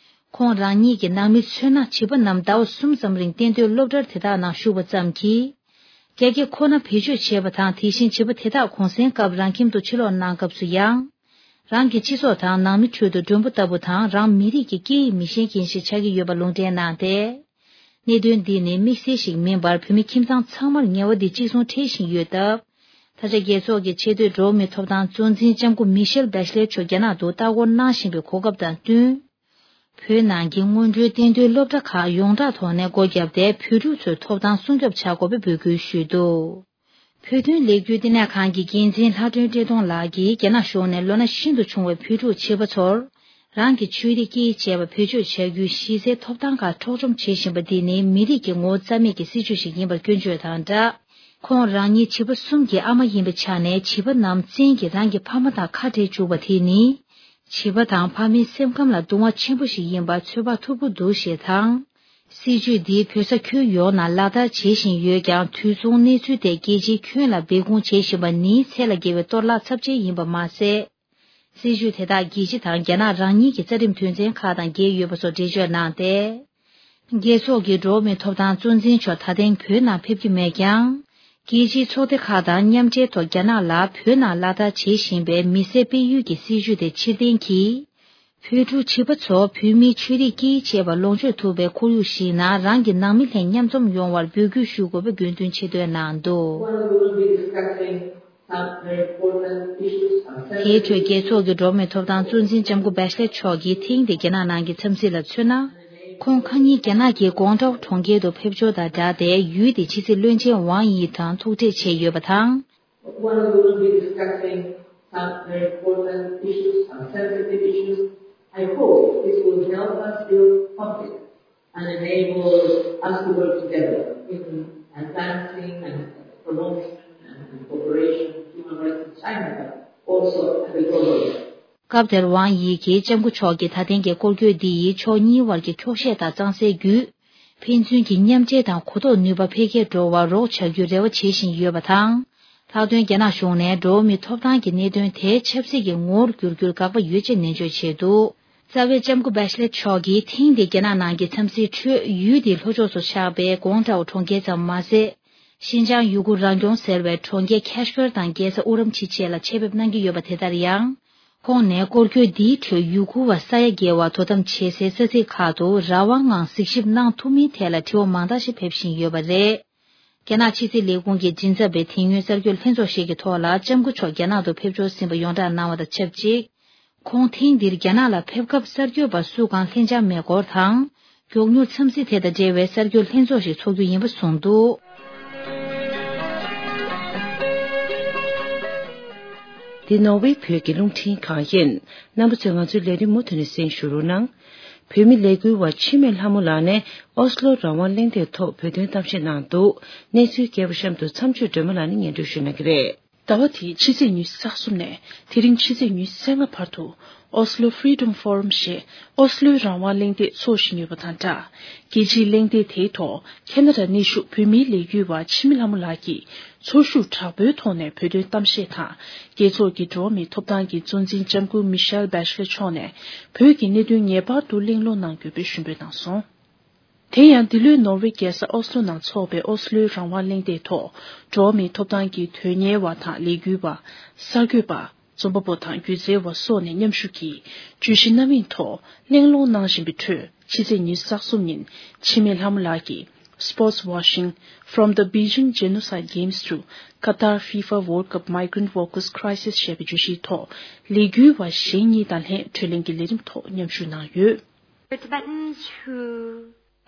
ཁོང་རང་ཉིད་ཀྱི་ནང་མི་མཚོན་ན་བྱིས་པ་རྣམས་ཟླ་བ་གསུམ་ཙམ་རིང་གཏན་སྡོད་སློབ་གྲྭར་དེ་དག་ནང་ཞུགས་པ་ཙམ་གྱིས། རྒྱ་སྐད་ཁོ་ན་བེད་སྤྱོད་བྱེད་པ་དང་། དེ་བཞིན་བྱིས་པ་དེ་དག་གུང་སེང་སྐབས་རང་ཁྱིམ་དུ་ཕྱིར་ལོག་གནང་སྐབས་སུ་ཡང་། རང་གི་སྤྱི་ཚོགས་དང་ནང་མི་ཁྲོད་དུ་མགྲོན་པོ་ལྟ་བུ་དང་རང་མི་རིགས་ཀྱི་སྐད་ཡིག་མི་ཤེས་མཁན་ཞིག་ཆགས་ཀྱི་ཡོད་པ་ལུང་འདྲེན་གནང་སྟེ། གནད་དོན་འདི་ནི་དམིགས་བསལ་ཞིག་མིན་པར་བོད་མི་ཁྱིམ་ཚང་ཚང་མར་ངལ་བ་འདི་གཅིག་མཚུངས་འཕྲད་བཞིན་ཡོད་སྟབས། ད་ཆ་རྒྱལ་ཚོགས་ཀྱི་ཆེས་མཐོའི་འགྲོ་བ་མིའི་ཐོབ་ཐང་གཙོ་འཛིན་ལྕམ་སྐུ་མི་ཤེལ་བེ་ཤ་ལེ་མཆོག་རྒྱ་ནག་ཏུ་ལྟ་སྐོར་གནང་བཞིན་པའི་གོ་སྐབས་དང་བསྟུན། བོད་ནང་གི་སྔོན་འགྲོའི་གཏན་སྡོད་སློབ་གྲྭ་ཁག་ཡོངས་གྲགས་ཐོག་ནས་སྒོ་བརྒྱབ་སྟེ། བོད་ཕྲུག་ཚོའི་ཐོབ་ཐང་སྲུང་སྐྱོབ་བྱ་དགོས་པའི་འབོད་སྐུལ་ཞུས་འདུག། བོད་དོན་ལས་འགུལ་བསྟི་གནས་ཁང་གི་འགན་འཛིན་ལྷ་སྒྲོན་བཀྲས་མཐོང་ལགས་ཀྱིས། རྒྱ་ནག་གཞུང་ནས་ལོ་ན་ཤིན་ཏུ་ཆུང་བའི་བོད་ཕྲུག་བྱིས་པ་ཚོར། རང་གི་ཆོས་རིག་སྐད་ཡིག་བཅས་པ་བེད་སྤྱོད་བྱ་རྒྱུའི་གཞི་རྩའི་ཐོབ་ཐང་ཁག་འཕྲོག་བཅོམ་བྱེད་བཞིན་པ་འདི་ནི་མི་རིགས་ཀྱི་ངོ་བོ་རྩ་མེད་ཀྱི་སྲིད་བྱུས་ཤིག་ཡིན་པར་སྐྱོན་བརྗོད་དང་སྦྲགས། ཁོང་རང་ཉིད་བྱིས་པ་གསུམ་གྱི་ཨ་མ་ཡིན་པའི་ཆ་ནས། བྱིས་པ་རྣམས་བཙན་གྱིས་རང་གི་ཕ་མ་དང་ཁ་བྲལ་བཅུག་པ་དེ་ནི། བྱིས་པ་དང་ཕ་མའི་སེམས་ཁམས་ལ་གདུང་བ་ཆེན་པོ་ཞིག་ཡིན་པ་ཚོད་དཔག་ཐུབ་ཀྱི་འདུག་ཞེས་དང་། སྲིད་བྱུས་འདི་བོད་ས་ཁྱོན་ཡོངས་ནང་ལག་བསྟར་བྱེད་བཞིན་ཡོད་ཀྱང་། དུས་མཚུངས་གནས་ཚུལ་དེ་རྒྱལ་སྤྱིའི་ཁྱོན་ལ་སྦས་སྐུང་བྱེད་བཞིན་པ་ནི་ཚད་ལས་བརྒལ་བའི་གཏོར་བརླག་ཚབས་ཆེན་ཡིན་པ་མ་ཟད། སྲིད་བྱུས་དེ་དག་རྒྱལ་སྤྱི་དང་རྒྱ་ནག་རང་ཉིད་ཀྱི་རྩ་ཁྲིམས་དོན་ཚན་ཁག་དང་འགལ་ཡོད་པ་སོགས་འགྲེལ་བརྗོད་གནང་སྟེ། རྒྱལ་ཚོགས་ཀྱི་འགྲོ་བ་མིའི་ཐོབ་ཐང་གཙོ་འཛིན་མཆོག་ད་ཐེངས་བོད་ནང་ཕེབས་ཀྱི་མེད་ཀྱང་། རྒྱལ་སྤྱིའི་ཚོགས་སྡེ་ཁག་དང་མཉམ་འབྲེལ་ཐོག་རྒྱ་ནག་ལ་བོད་ནང་ལག་བསྟར་བྱེད་བཞིན་པའི་མི་སེར་སྤེལ་ཡུལ་གྱི་སྲིད་བྱུས་དེ་ཕྱིར་འཐེན་གྱིས། བོད་ཕྲུག་བྱིས་པ་ཚོ་བོད་མིའི་ཆོས་རིག་སྐད་ཡིག་བཅས་པ་ལོངས་སྤྱོད་ཐུབ་པའི་ཁོར་ཡུག་ཞིག་ནང་རང་གི་ནང་མི་ལྷན་མཉམ་འཛོམས་ཡོང་བར་འབོད་སྐུལ་ཞུ་དགོས་པའི་དགོས་འདུན་ཆེ་བསྟོད་གནང་འདུག། དེའི་ཁྲོད་རྒྱལ་ཚོགས་ཀྱི་འགྲོ་བ་མིའི་ཐོབ་ཐང་གཙོ་འཛིན་ལྕམ་སྐུ་བེ་ཤ་ལེ་མཆོག་གིས་ཐེངས་འདིའི་རྒྱ་ནག་ནང་གི་འཚམས་གཟིགས་ལ་མཚོན་ན། ཁོང་ཁ་ཉིན་རྒྱ་ནག་གི་ཀོང་ཀྲོའུ་གྲོང་ཁྱེར་དུ་ཕེབས་འབྱོར་དང་སྦྲགས་ཏེ། ཡུལ་དེའི་ཕྱི་སྲིད་བློན་ཆེན་ཝང་དབྱི་དང་ཐུག་འཕྲད་བྱས་ཡོད་པ་དང་། One will be discussing some very important issues, some sensitive issues. I hope this will help us build confidence and enable us to work together in advancing and promotion and incorporation of human rights in China, but also at the global level. སྐབས་དེར་ཝང་དབྱི་གིས་ལྕམ་སྐུ་མཆོག་གི་ད་ཐེངས་ཀྱི་སྐོར་སྐྱོད་འདི་ཡིས་ཕྱོགས་གཉིས་བར་གྱི་འཁྱོག་བཤད་དང་གཙང་སེལ་བརྒྱུད། ཕན་ཚུན་གྱི་མཉམ་འབྲེལ་དང་གོ་རྟོགས་ནུས་པ་འཕེལ་རྒྱས་འགྲོ་བར་རོགས་བྱ་རྒྱུའི་རེ་བ་བྱེད་བཞིན་ཡོད་པ་དང་། ལྷག་དོན་རྒྱ་ནག་གཞུང་ནས་འགྲོ་བ་མིའི་ཐོབ་ཐང་གི་གནད་དོན་དེ་ཆབ་སྲིད་ཀྱི་ངོ་བོར་བསྒྱུར་རྒྱུར་དགག་པ་ཡོད་ཅེས་ནན་བརྗོད་བྱས་འདུག་རྩ་བའི་ལྕམ་སྐུ་བྷེ་ཤ་ལེ་མཆོག་གིས་ཐེངས་འདིའི་རྒྱ་ནག་ནང་གི་འཚམས་གཟིགས་ཁྲོད་ཡུལ་དེའི་ལྷོ་ཕྱོགས་སུ་ཆགས་པའི་ཀོང་ཀྲའོ་གྲོང་ཁྱེར་ཙམ་མ་ཟད། ཤིན་ཅང་ཡུ་གུར་རང་སྐྱོང་ཟེར་བའི་གྲོང་ཁྱེར་ཁེ་ཤོར་དང་རྒྱལ་ས་ཨུ་རམ་ཆི་བཅས་ལ་ཆེད་ཕེབས་གནང་གི་ཡོད་པ་དེ་ལྟར་ཡང་། ཁོང་ནས་སྐོར་སྐྱོད་འདིའི་ཁྲོད་ཡུ་གུར་བ་ས་ཡ་བརྒལ་བ་དོ་དམ་བྱེད་སའི་ས་ཚིགས་ཁག་ཏུ་རང་དབང་ངང་གཟིགས་ཞིབ་གནང་ཐུབ་མིན་ཐད་ལ་དྲི་བ་མང་དག་ཞིག་ཕེབས་བཞིན་ཡོད་པ་རེད། རྒྱ་ནག་ཕྱི་སྲིད་ལས་ཁུངས་ཀྱི་མགྲིན་ཚབ་པས་དེ་སྔོན་གསར་འགོད་ལྷན་ཚོགས་ཤིག་གི་ཐོག་ལ་ལྕམ་སྐུ་མཆོག་རྒྱ་ནག་ཏུ་ཕེབས་འབྱོར་ཟིན་པ་ཡོངས་བསྒྲགས་གནང་བ་དང་ཆབས་ཅིག་ཁོང་ཐེངས་འདིར་རྒྱ་ནག་ལ་ཕེབས་སྐབས་གསར་འགོད་པ་སུ་གང་ལྷན་བཅར་མེད་སྐོར་དང་། མགྱོགས་མྱུར་འཚམས་གཟིགས་དེ་དང་འབྲེལ་བའི་གསར་འགོད་ལྷན་ཚོགས་ཤིག་ཚོགས་རྒྱུ་ཡིན་པ་གསུངས་འདུག་འདི་ནོར་ཝེ་བོད་ཀྱི་རླུང་འཕྲིན་ཁང་ཡིན། རྣམ་པ་ཚོས་ང་ཚོའི་ལས་རིམ་མུ་མཐུད་ནས་གསན་ཞུ་རོགས་གནང་། བོད་མི་ལས་འགུལ་བ་འཆི་མེད་ལྷ་མོ་ལགས་ནས་ཨོ་སི་ལོ་རང་དབང་གླེང་སྟེགས་ཐོག་བོད་དོན་གཏམ་བཤད་གནང་འདུག་གནས་ཚུལ་རྒྱས་པ་གཤམ་དུ་མཚམས་གཅོད་སྒྲོལ་མ་ལགས་ནས་སྙན་སྒྲོན་ཞུ་གནང་གི་རེད། ཟླ་བ་འདིའི་ཕྱི་ཚེས་ཉི་ཤུ་རྩ་གསུམ་ནས་དེ་རིང་ཕྱི་ཚེས་ཉི་ཤུ་རྩ་ལྔ་བར་དུ་Oslo Freedom Forum ཞེས་ཨོ་སི་ལོའི་རང་དབང་གླེང་སྟེགས་འཚོགས་བཞིན་ཡོད་པ་དང་སྦྲགས། རྒྱལ་སྤྱིའི་གླེང་སྟེགས་དེའི་ཐོག་ཁེ་ན་ཌ་གནས་བཞུགས་བོད་མིའི་ལས་འགུལ་བ་འཆི་མེད་ལྷ་མོ་ལགས་ཀྱིས་ཚོར་ཤུགས་དྲག་པོའི་ཐོག་ནས་བོད་དོན་གཏམ་བཤད་དང་། རྒྱལ་ཚོགས་ཀྱི་འགྲོ་བ་མིའི་ཐོབ་ཐང་གི་གཙོ་འཛིན་ལྕམ་སྐུ་མི་ཤེལ་བྷེ་ཤ་ལེ་མཆོག་ནས་བོད་ཀྱི་གནད་དོན་ངེས་པར་དུ་གླེང་སློང་གནང་དགོས་པའི་ཞུ་འབོད་གནང་སོང་། དེ་ཡང་འདི་ལོའི་ནོར་ཝེ་རྒྱལ་ས་ཨོ་སི་ལོ་ནང་འཚོགས་པའི་ཨོ་སི་ལོའི་རང་དབང་གླེང་སྟེགས་ཐོག་འགྲོ་བ་མིའི་ཐོབ་ཐང་གི་དོན་གཉེར་བ་དང་ལས་འགུལ་བ། གསར་འགོད་པ། རྩོམ་པ་པོ་དང་སྒྱུ་རྩལ་བ་སོགས་ནས་མཉམ་ཞུགས་ཀྱིས་བརྗོད་གཞི་རྣམ་གཡེང་ཐོག་གླེང་སློང་གནང་བཞིན་པའི་ཁྲོད་ཕྱི་ཚེས་ཉི་ཤུ་རྩ་གསུམ་ཉིན་འཆི་མེད་ལྷ་མོ་ལགས་ཀྱིས་Sports Washing, From the Beijing Genocide Games to Qatar FIFA World Cup Migrant Workers Crisis ཞེས་པའི་བརྗོད་གཞིའི་ཐོག་ལས་འགུལ་བ་གཞན་གཉིས་དང་ལྷན་བགྲོ་གླེང་གི་ལས་རིམ་ཐོག་མཉམ་ཞུགས་གནང་ཡོད། For Tibetans who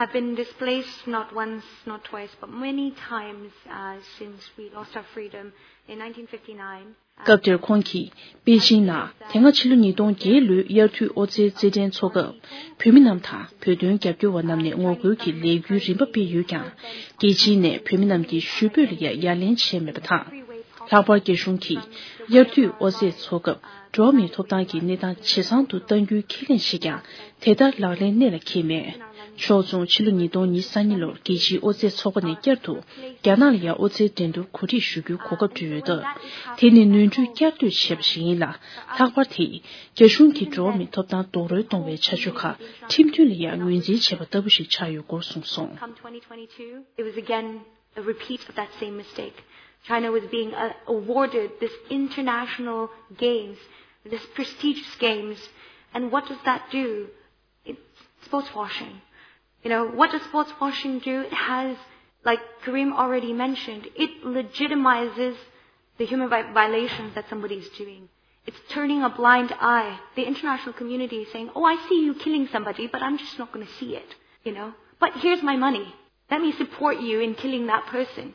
have been displaced not once, not twice, but many times uh, since we lost our freedom in nineteen fifty-nine. སྐབས་དེར་ཁོང་གིས་པེ་ཅིང་ནང་དེ་སྔ་ཕྱི་ལོ་ཉིས་སྟོང་བརྒྱད་ལོའི་དབྱར་དུས་ཨོ་རྩལ་རྩེད་འགྲན་འཚོགས་སྐབས་བོད་མི་རྣམས་དང་བོད་དོན་རྒྱབ་སྐྱོར་བ་རྣམས་ནས་ངོ་རྒོལ་གྱི་ལས་འགུལ་རིམ་པ་སྤེལ་ཡོད་ཀྱང་རྒྱལ་སྤྱིའི་ནས་བོད་མི་རྣམས་ཀྱི་ཞུ་འབོད་ལ་ཡང་ཡ་ལན་བྱས་མེད་པ་དང་། ལྷག་པར་རྒྱ་གཞུང་གིས་དབྱར་དུས་ཨོ་རྩེད་འཚོགས་སྐབས་འགྲོ་བ་མིའི་ཐོབ་ཐང་གི་གནས་སྟངས་ཇེ་བཟང་དུ་གཏང་རྒྱུའི་ཁས་ལེན་བྱེད་ཀྱང་དེ་ལྟར་ལག་ལེན་གནད་ལ་འཁེལ་མེད། ཕྱོགས་མཚུངས་ཕྱི་ལོ་ཉིས་སྟོང་ཉི་ཤུ་རྩ་གཉིས་ལོར་རྒྱལ་སྤྱིའི་ཨོ་རྩེད་ཚོགས་པ་ནས་བསྐྱར་དུ་རྒྱ་ནག་ལ་ཡང་ཨོ་རྩེད་འགྲན་བསྡུར་གོ་སྒྲིག་ཞུ་རྒྱུའི་གོ་སྐབས་བསྐྲུན་ཡོད་སྟབས། དེ་ནི་ནོར་འཁྲུལ་བསྐྱར་ཟློས་བྱས་པ་ཞིག་ཡིན་ལ། ལྷག་པར་དེས་རྒྱ་གཞུང་གིས་འགྲོ་བ་མིའི་ཐོབ་ཐང་རྡོག་རོལ་གཏོང་བའི་བྱ་སྤྱོད་ཁག་ཁྲིམས་མཐུན་ལ་ཡང་ངོས་འཛིན་བྱས་པ་ལྟ་བུ་ཞིག་ཆགས་ཡོད་སྐོར་གསུངས་སོང་། Come twenty twenty-two, it was again a repeat of that same mistake. China was being uh, awarded this international games, this prestigious games, and what does that do? It's sports washing. You know, what does sports washing do? It has, like Karim already mentioned, it legitimizes the human rights violations that somebody is doing. It's turning a blind eye. The international community is saying, oh, I see you killing somebody, but I'm just not going to see it, you know. But here's my money. Let me support you in killing that person.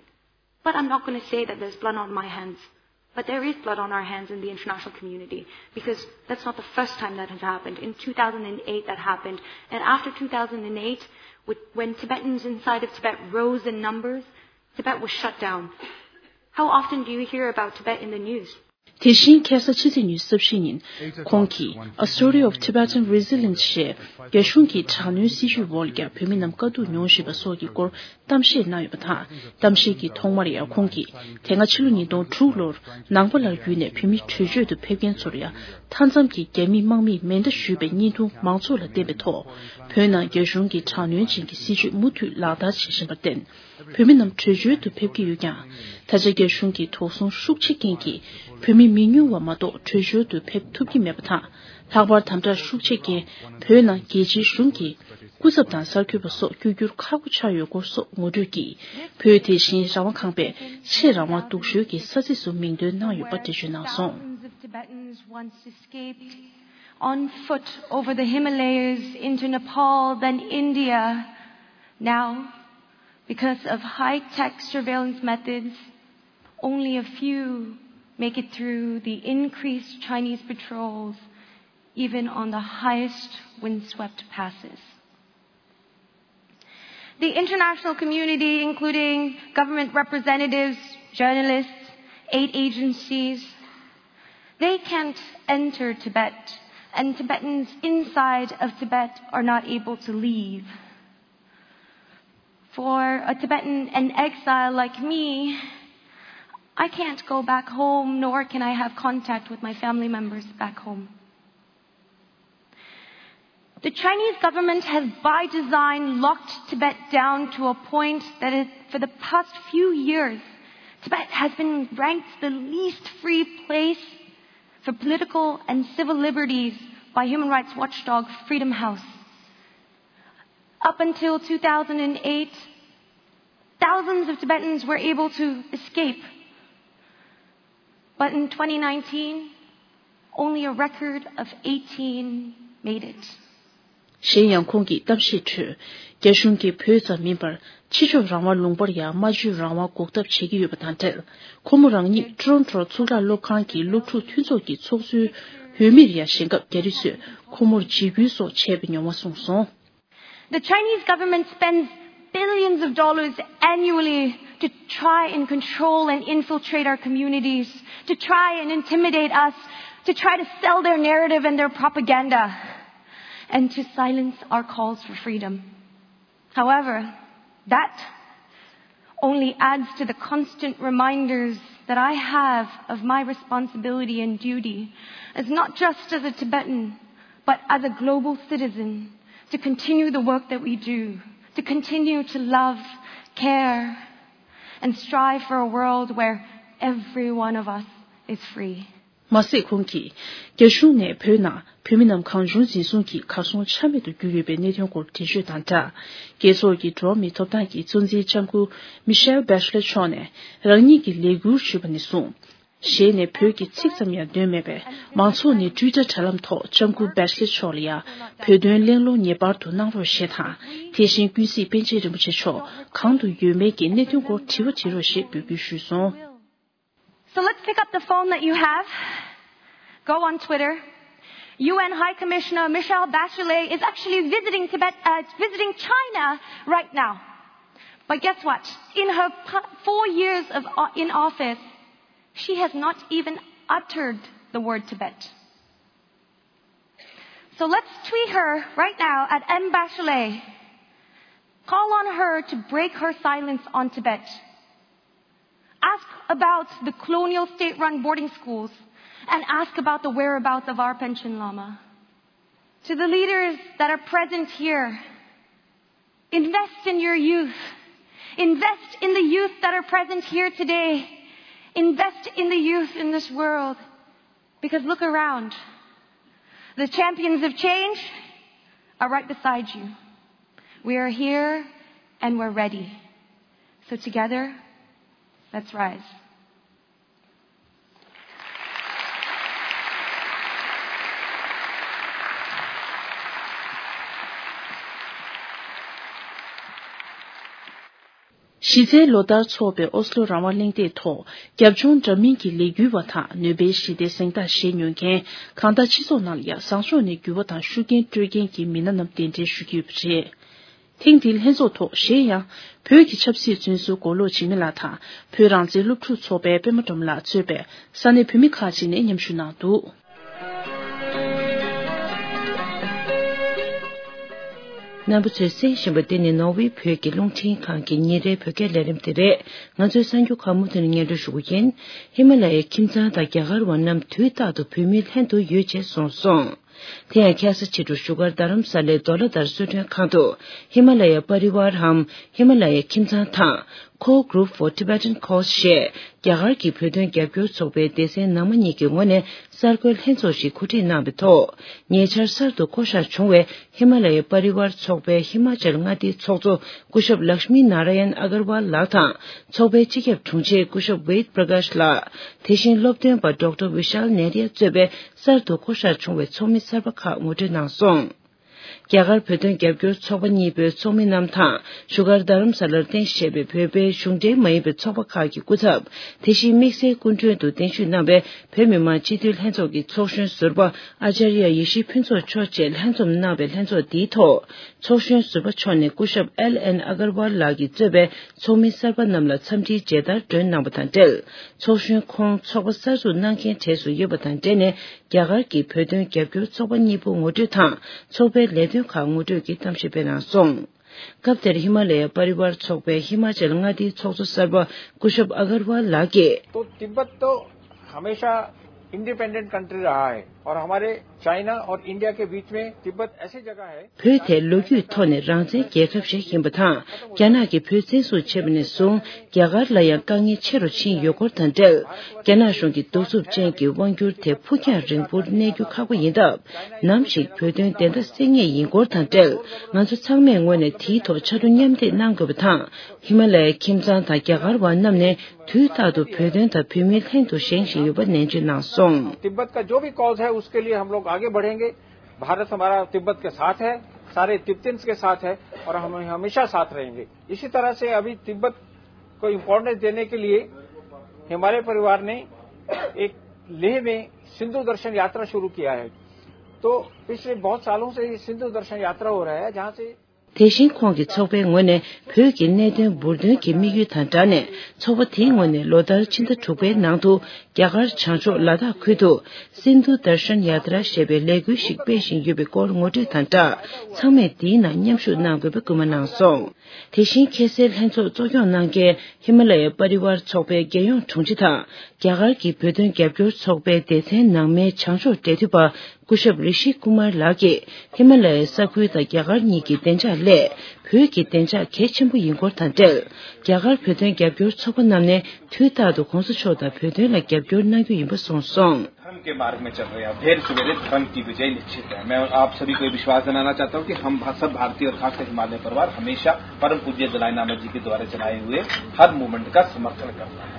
But I'm not going to say that there's blood on my hands. But there is blood on our hands in the international community because that's not the first time that has happened. In two thousand eight, that happened. And after two thousand eight, with, when Tibetans inside of Tibet rose in numbers, Tibet was shut down. How often do you hear about Tibet in the news? དེ་བཞིན་ཁ་སང་ཕྱི་ཚེས་ཉི་ཤུ་རྩ་བཞི་ཉིན་ཁོང་གིས་A Story of Tibetan Resilience ཞེས་རྒྱ་གཞུང་གི་དྲག་གནོན་སྲིད་བྱུས་འོག་ལ་བོད་མི་རྣམས་དཀའ་སྡུག་མྱོང་བཞིན་པ་སོགས་ཀྱི་སྐོར་གཏམ་བཤད་གནང་ཡོད་པ་དང་། གཏམ་བཤད་ཀྱི་ཐོག་མར་ཡང་ཁོང་གིས་དེ་སྔ་ཕྱི་ལོ་ཉིས་སྟོང་དྲུག་ལོར་ནང་པ་ལ་བརྒྱུད་ནས་བོད་མི་བྲོས་བྱོལ་དུ་ཕེབས་མཁན་ཚོར་ཡང་མཐའ་མཚམས་ཀྱི་རྒྱ་མིས་དམག་མིས་མེ་མདའ་གཞུས་པའི་བརྙན་ཐུང་མང་ཚོགས་ལ་བསྟན་པའི་ཐོག་བོད་ནང་རྒྱ་གཞུང་གི་དྲག་གནོན་ཅན་གྱི་སྲིད་བྱུས་མུ་མཐུད་ལག་བསྟར་བྱེད་བཞིན་པར་བརྟེན། བོད་མི་རྣམས་བྲོས་བྱོལ་དུ་ཕེབས་ཀྱི་ཡོད་ཀྱང་། ད་ཆ་རྒྱ་གཞུང་གི་དོགས་ཟོན་ཤུགས་ཆེ་རྐྱེན་གྱིས་བོད་མི་མི་ཉུང་བ་མ་གཏོགས་བྲོས་བྱོལ་དུ་ཕེབས་ཐུབ་ཀྱི་མེད་པ་དང་། ལྷག་པར་དམ་དྲག་ཤུགས་ཆེ་རྐྱེན་བོད་ནང་རྒྱལ་སྤྱིའི་གཞུང་གི་སྐུ་ཚབ་དང་གསར་འགོད་པ་སོགས་བསྐྱོད་རྒྱུར་ཁག་པོ་ཆགས་ཡོད་སྐོར་སོགས་ངོ་སྤྲོད་ཀྱིས། བོད་དེ་བཞིན་རང་དབང་ཁང་པས་ཆེས་རང་དབང་སྡུག་ཤོས་ཀྱི་ས་ཚིགས་སུ་མིང་འདོན་གནང་ཡོད་པ་འགྲེལ་བརྗོད་གནང་སོང་། Thousands of Tibetans once escaped on foot over the Himalayas into Nepal, then India. Now, because of high-tech surveillance methods, only a few make it through the increased Chinese patrols, even on the highest windswept passes. The international community, including government representatives, journalists, aid agencies, they can't enter Tibet, and Tibetans inside of Tibet are not able to leave. For a Tibetan in exile like me, I can't go back home, nor can I have contact with my family members back home. The Chinese government has, by design, locked Tibet down to a point that is, for the past few years, Tibet has been ranked the least free place for political and civil liberties by human rights watchdog Freedom House. Up until two thousand eight, thousands of Tibetans were able to escape. But in twenty nineteen, only a record of eighteen made it. གཞན་ཡང་ཁོང་གིས་གཏམ་བཤད་ཁྲོད། རྒྱ་གཞུང་གིས་བོད་ཙམ་མིན་པར་ཕྱི་ཕྱོགས་རང་དབང་ལུང་པར་ཡང་སྨྲ་བརྗོད་རང་དབང་འགོག་ཐབས་བྱེད་ཀྱི་ཡོད་པ་དང་འབྲེལ། ཁོ་མོ་རང་ཉིད་ཊོ་རོན་ཊོ་གཙུག་ལག་སློབ་ཁང་གི་སློབ་ཕྲུག་མཐུན་ཚོགས་ཀྱི་ཚོགས་གཙོའི་འོས་མིར་ཡང་ཞེན་སྐབས། རྒྱ་རིགས་ཚོས་ཁོ་མོར་འཇིགས་སྐུལ་སོགས་བྱས་པའི་མྱོང་བ་གསུངས་སོང་། The Chinese government spends billions of dollars annually to try and control and infiltrate our communities, to try and intimidate us, to try to sell their narrative and their propaganda, and to silence our calls for freedom. However, that only adds to the constant reminders that I have of my responsibility and duty as not just as a Tibetan, but as a global citizen, to continue the work that we do, to continue to love, care, and strive for a world where every one of us is free. མ་ཟད་ཁོང་གིས། རྒྱ་གཞུང་ནས་བོད་ནང་བོད་མི་རྣམས་གང་བྱུང་འཛིན་བཟུང་གིས་གར་སོང་ཆ་མེད་དུ་གྱུར་ཡོད་པའི་གནད་དོན་སྐོར་འགྲེལ་བརྗོད་དང་སྦྲགས། རྒྱལ་ཚོགས་ཀྱི་འགྲོ་བ་མིའི་ཐོབ་ཐང་གི་གཙོ་འཛིན་ལྕམ་སྐུ་མི་ཤེལ་བྷེ་ཤ་ལེ་མཆོག་ནས་རང་ཉིད་ཀྱི་ལས་འཁུར་ཞུས་པ་ནས་བཟུང་། ཞལ་ནས་བོད་ཀྱི་ཚིག་ཙམ་ཡང་འདོན་མེད་པས། མང་ཚོགས་ནས་ཊུའི་ཊར་དྲ་ལམ་ཐོག་ལྕམ་སྐུ་བྷེ་ཤ་ལེ་མཆོག་ལ་ཡང་བོད་དོན་གླེང་སློང་ངེས་པར་དུ་གནང་རོགས་ཞེས་དང་། དེ་བཞིན་ཀུན་གཟིགས་པཎ་ཆེན་རིན་པོ་ཆེ་མཆོག་གང་དུ་ཡོད་མེད་ཀྱི་གནད་དོན་སྐོར་དྲི་བ་དྲི་རོགས་ཞེས་འབོད་སྐུལ་ཞུས་སོང་། So let's pick up the phone that you have. Go on Twitter. U N High Commissioner Michelle Bachelet is actually visiting Tibet, uh, visiting China right now. But guess what? In her four years of, uh, in office, she has not even uttered the word Tibet. So let's tweet her right now at M Bachelet. Call on her to break her silence on Tibet. Ask about the colonial state-run boarding schools and ask about the whereabouts of our Panchen Lama. To the leaders that are present here, invest in your youth. Invest in the youth that are present here today. Invest in the youth in this world. Because look around. The champions of change are right beside you. We are here and we're ready. So together, let's rise. གཞི་རྩའི་ལོ་ལྟར་འཚོགས་པའི་ཨོ་སི་ལོ་རང་དབང་གླེང་སྟེགས་ཐོག་རྒྱབ་ལྗོངས་འདྲ་མིན་གྱི་ལས་འགུལ་བ་དང་ནོ་སྦེལ་ཞི་བདེའི་གཟེངས་རྟགས་བཞེས་མྱོང་མཁན་གང་ལྟར་སྤྱི་ཚོགས་ནང་ལ་ཡང་བཟང་ཕྱོགས་ནས་འགྱུར་བ་དང་ཤུགས་རྐྱེན་སྤྲོད་མཁན་གྱི་མི་སྣ་རྣམས་གདན་འདྲེན་ཞུ་གི་ཡོད་པ་རེད། ཐེངས་འདིའི་ལྷན་ཚོགས་ཐོག་གཞན་ཡང་བོད་ཀྱི་ཆབ་སྲིད་བཙོན་ཟུར་མགོ་ལོག་འཇིགས་མེད་ལགས་དང་བོད་རང་བཙན་སློབ་ཕྲུག་ཚོགས་པའི་པད་མ་སྒྲོལ་མ་ལགས་གཙོས་པའི་ས་གནས་བོད་མི་ཁག་ཅིག་ནས་མཉམ་ཞུགས་གནང་འདུག། རྣམ་པ་ཚོས་གསན་བཞིན་པ་འདི་ནི་ནོར་ཝེ་བོད་ཀྱི་རླུང་འཕྲིན་ཁང་གི་ཉིན་རེའི་བོད་སྐད་ལས་རིམ་དེ་རེད། ང་ཚོའི་གསར་འགྱུར་ཁག་མུ་མཐུད་ནས་སྙན་སྒྲོན་ཞུ་གི་ཡིན། ཧི་མ་ལ་ཡའི་ཁྱིམ་ཚང་དང་རྒྱ་གར་བ་རྣམས་དུས་རྟག་ཏུ་བོད་མིའི་ལྷན་དུ་ཡོད་ཅེས་གསུངས་སོང་། དེ་ཡང་ཁ་སང་ཕྱི་དྲོ་བཞུགས་སྒར་རྡ་རམ་ས་ལའི་ཌོ་ལ་དར་གསོལ་མགྲོན་ཁང་དུ་ཧི་མ་ལ་ཡ་པ་རི་ཝར་འམ་ཧི་མ་ལ་ཡ་ཁྱིམ་ཚང་དང་Core Group for Tibetan Cause ཞེས་རྒྱ་གར་གྱི་བོད་དོན་རྒྱབ་སྐྱོར་ཚོགས་པའི་སྡེ་ཚན་ནང་མ་གཉིས་ཀྱི་ངོས་ནས་གསར་འགོད་ལྷན་ཚོགས་ཤིག་གོ་སྒྲིག་གནང་བའི་ཐོག་ཉེ་ཆར་གསར་དུ་བསྐོ་བཞག་བྱུང་བའི་ཧི་མ་ལ་ཡ་པ་རི་ཝར་ཚོགས་པའི་ཧི་མ་ཅལ་མངའ་སྡེའི་ཚོགས་གཙོ་སྐུ་ཞབས་ལཀྵ་མི་ན་ར་ཡན་ཨ་གར་ཝལ་ལགས་དང་། ཚོགས་པའི་སྤྱི་ཁྱབ་དྲུང་ཆེ་སྐུ་ཞབས་ཝེད་པྲ་ཀཱཤ་ལགས། དེ་བཞིན་སློབ་སྟོན་པ་ཌོག་ཊར་བི་ཤཱལ་ནེ་རི་ཡ་གཙོས་པའི་གསར་དུ་བསྐོ་བཞག་བྱུང་བའི་ཚོགས་མི་གསར་པ་ཁག་ངོ་སྤྲོད་གནང་སོང་། རྒྱ་གར་བོད་དོན་རྒྱབ་སྐྱོར་ཚོགས་པ་གཉིས་པོའི་ཚོགས་མི་རྣམས་དང་བཞུགས་སྒར་རྡ་རམ་ས་ལར་རྟེན་གཞི་བྱས་པའི་བོད་པའི་གཞུང་འབྲེལ་མ་ཡིན་པའི་ཚོགས་པ་ཁག་གི་སྐུ་ཚབ། དེ་བཞིན་དམིགས་བསལ་སྐུ་མགྲོན་དུ་གདན་ཞུས་གནང་བའི་བོད་མི་མང་སྤྱི་འཐུས་ལྷན་ཚོགས་ཀྱི་ཚོགས་གཞོན་ཟུར་པ་ཨ་ཅར་ཡ་ཡེ་ཤེས་ཕུན་ཚོགས་མཆོག་བཅས་ལྷན་འཛོམས་གནང་བའི་ལྷན་ཚོགས་འདིའི་ཐོག་ཚོགས་གཞོན་ཟུར་པ་མཆོག་ནས་སྐུ་ཞབས་ཨེལ་ཨེན་ཨ་གར་ཝལ་ལགས་ཀྱིས་གཙོས་པའི་ཚོགས་མི་གསར་པ་རྣམས་ལ་འཚམས་འདྲིའི་མཇལ་དར་སྒྲོན་གནང་བ་དང་འབྲེལ། ཚོགས་གཞོན་ཁོང་ཚོགས་པ་གསར་འཛུགས་གནང་མཁན་གྲས་སུ་ཡོད་པ་དང་འབྲེལ་ནས། རྒྱ་གར་གྱི་བོད་དོན་རྒྱབ་སྐྱོར་ཚོགས་པ་གཉིས་པོ་ངོ་སྤྲོད་དང་ཚོགས་པའི་ལས་དོན་ཁག་ངོ་སྤྲོད་ཀྱི་གཏམ་བཤད་སྤེལ་གནང་སོང་། སྐབས་དེར་ཧི་མ་ལ་ཡ་པ་རི་ཝར་ཚོགས་པའི་ཧི་མ་ཅལ་མངའ་སྡེའི་ཚོགས་གཙོ་གསར་པ་སྐུ་ཞབས་ཨ་གར་ཝལ་ལགས་ཀྱིས། तो तिब्बत तो हमेशा independent country रहा है और हमारे चाइना और इंडिया के बीच में तिब्बत ऐसी जगह है। བོད་དེ་ལོ་རྒྱུས་ཐོག་ནས་རང་བཙན་རྒྱལ་ཁབ་ཞིག་ཡིན་པ་དང་། རྒྱ་ནག་གིས་བོད་བཙན་བཟུང་བྱས་པ་ནས་བཟུང་། རྒྱ་གར་ལ་ཡང་དཀའ་ངལ་ཆེ་རུ་ཕྱིན་ཡོད་སྐོར་དང་འབྲེལ། རྒྱ་ནག་གཞུང་གི་གདུག་རྩུབ་ཅན་གྱི་དབང་སྒྱུར་དེ་ཕུགས་རྒྱང་རིང་པོར་གནས་རྒྱུ་ཁག་པོ་ཡིན་སྟབས། ནམ་ཞིག་བོད་དོན་བདེན་མཐའ་གསལ་ངེས་ཡིན་སྐོར་དང་འབྲེལ། ང་ཚོ་ཚང་མས་ངོས་ནས་དེའི་ཐོག་ཕྱར་གྲུ་མཉམ་འདེགས་གནང་དགོས་པ་དང་། ཧི་མ་ལ་ཡའི་ཁྱིམ་ཚང་དང་རྒྱ་གར་བ་རྣམས་ནས་དུས་རྟག་ཏུ་བོད་དོན་དང་བོད་མིའི་ལྷན་དུ་བཞེངས་བཞིན་ཡོད་པ་ནན་བརྗོད་གནང་སོང་། तिब्बत का जो भी कॉज है, उसके लिए हम लोग आगे बढ़ेंगे। भारत हमारा तिब्बत के साथ है, सारे तिब्बतियंस के साथ है और हम हमेशा साथ रहेंगे। इसी तरह से अभी तिब्बत को इम्पोर्टेंस देने के लिए हमारे परिवार ने एक लेह में सिंधु दर्शन यात्रा शुरू किया है। तो पिछले बहुत सालों से ये सिंधु दर्शन यात्रा हो रहा है, जहाँ से དེ་བཞིན་ཁོང་གིས་ཚོགས་པའི་ངོས་ནས་བོད་ཀྱི་གནད་དོན་འབུར་འདོན་གྱི་དམིགས་ཡུལ་དང་སྦྲགས་ནས། ཚོགས་པ་དེའི་ངོས་ནས་ལོ་ལྟར་ཕྱི་ཟླ་དྲུག་པའི་ནང་དུ་རྒྱ་གར་བྱང་ཕྱོགས་ལ་དྭགས་ཁུལ་དུ་སིན་དྷུ་དར་ཤན་ཡ་ཏྲ་ཞེས་པའི་ལས་འགུལ་ཞིག་སྤེལ་བཞིན་ཡོད་པའི་སྐོར་ངོ་སྤྲོད་དང་སྦྲགས། ཚང་མས་འདིའི་ནང་མཉམ་ཞུགས་གནང་དགོས་པའི་སྐུལ་མ་གནང་སོང་། དེ་བཞིན་ཁ་སའི་ལྷན་ཚོགས་གཙོ་སྐྱོང་གནང་མཁན་ཧི་མ་ལ་ཡའི་པ་རི་ཝར་ཚོགས་པའི་རྒྱལ་ཡོངས་དྲུང་ཆེ་དང་། རྒྱ་གར་གྱི་བོད་དོན་རྒྱབ་སྐྱོར་ཚོགས་པའི་སྡེ་ཚན་ནང་མའི་བྱང་ཕྱོགས་འབྲེལ་མཐུད་པ། སྐུ་ཞབས་རི་ཤི་ཀུ་མར་ལགས་ཀྱིས་ཧི་མ་ལ་ཡའི་ས་ཁུལ་དང་རྒྱ་གར་གཉིས་ཀྱི་བདེ་འཇགས་སླད། བོད་ཀྱི་བདེ་འཇགས་གལ་ཆེན་པོ་ཡིན་སྐོར་དང་འབྲེལ། རྒྱ་གར་བོད་དོན་རྒྱབ་སྐྱོར་ཚོགས་པ་རྣམས་ནས་དུས་རྟག་ཏུ་གོང་ས་མཆོག་དང་བོད་དོན་ལ་རྒྱབ་སྐྱོར་གནང་རྒྱུ་ཡིན་པ་གསུངས་སོང་། धर्म के मार्ग में चल रहे हैं, आप ढेर सवेरे धर्म की विजय निश्चित है। मैं आप सभी को ये विश्वास दिलाना चाहता हूँ कि हम भा-, सब भारतीय और खासकर हिमालय परिवार हमेशा परम पूज्य दलाई लामा जी के द्वारा चलाए हुए हर मूवमेंट का समर्थन करता है।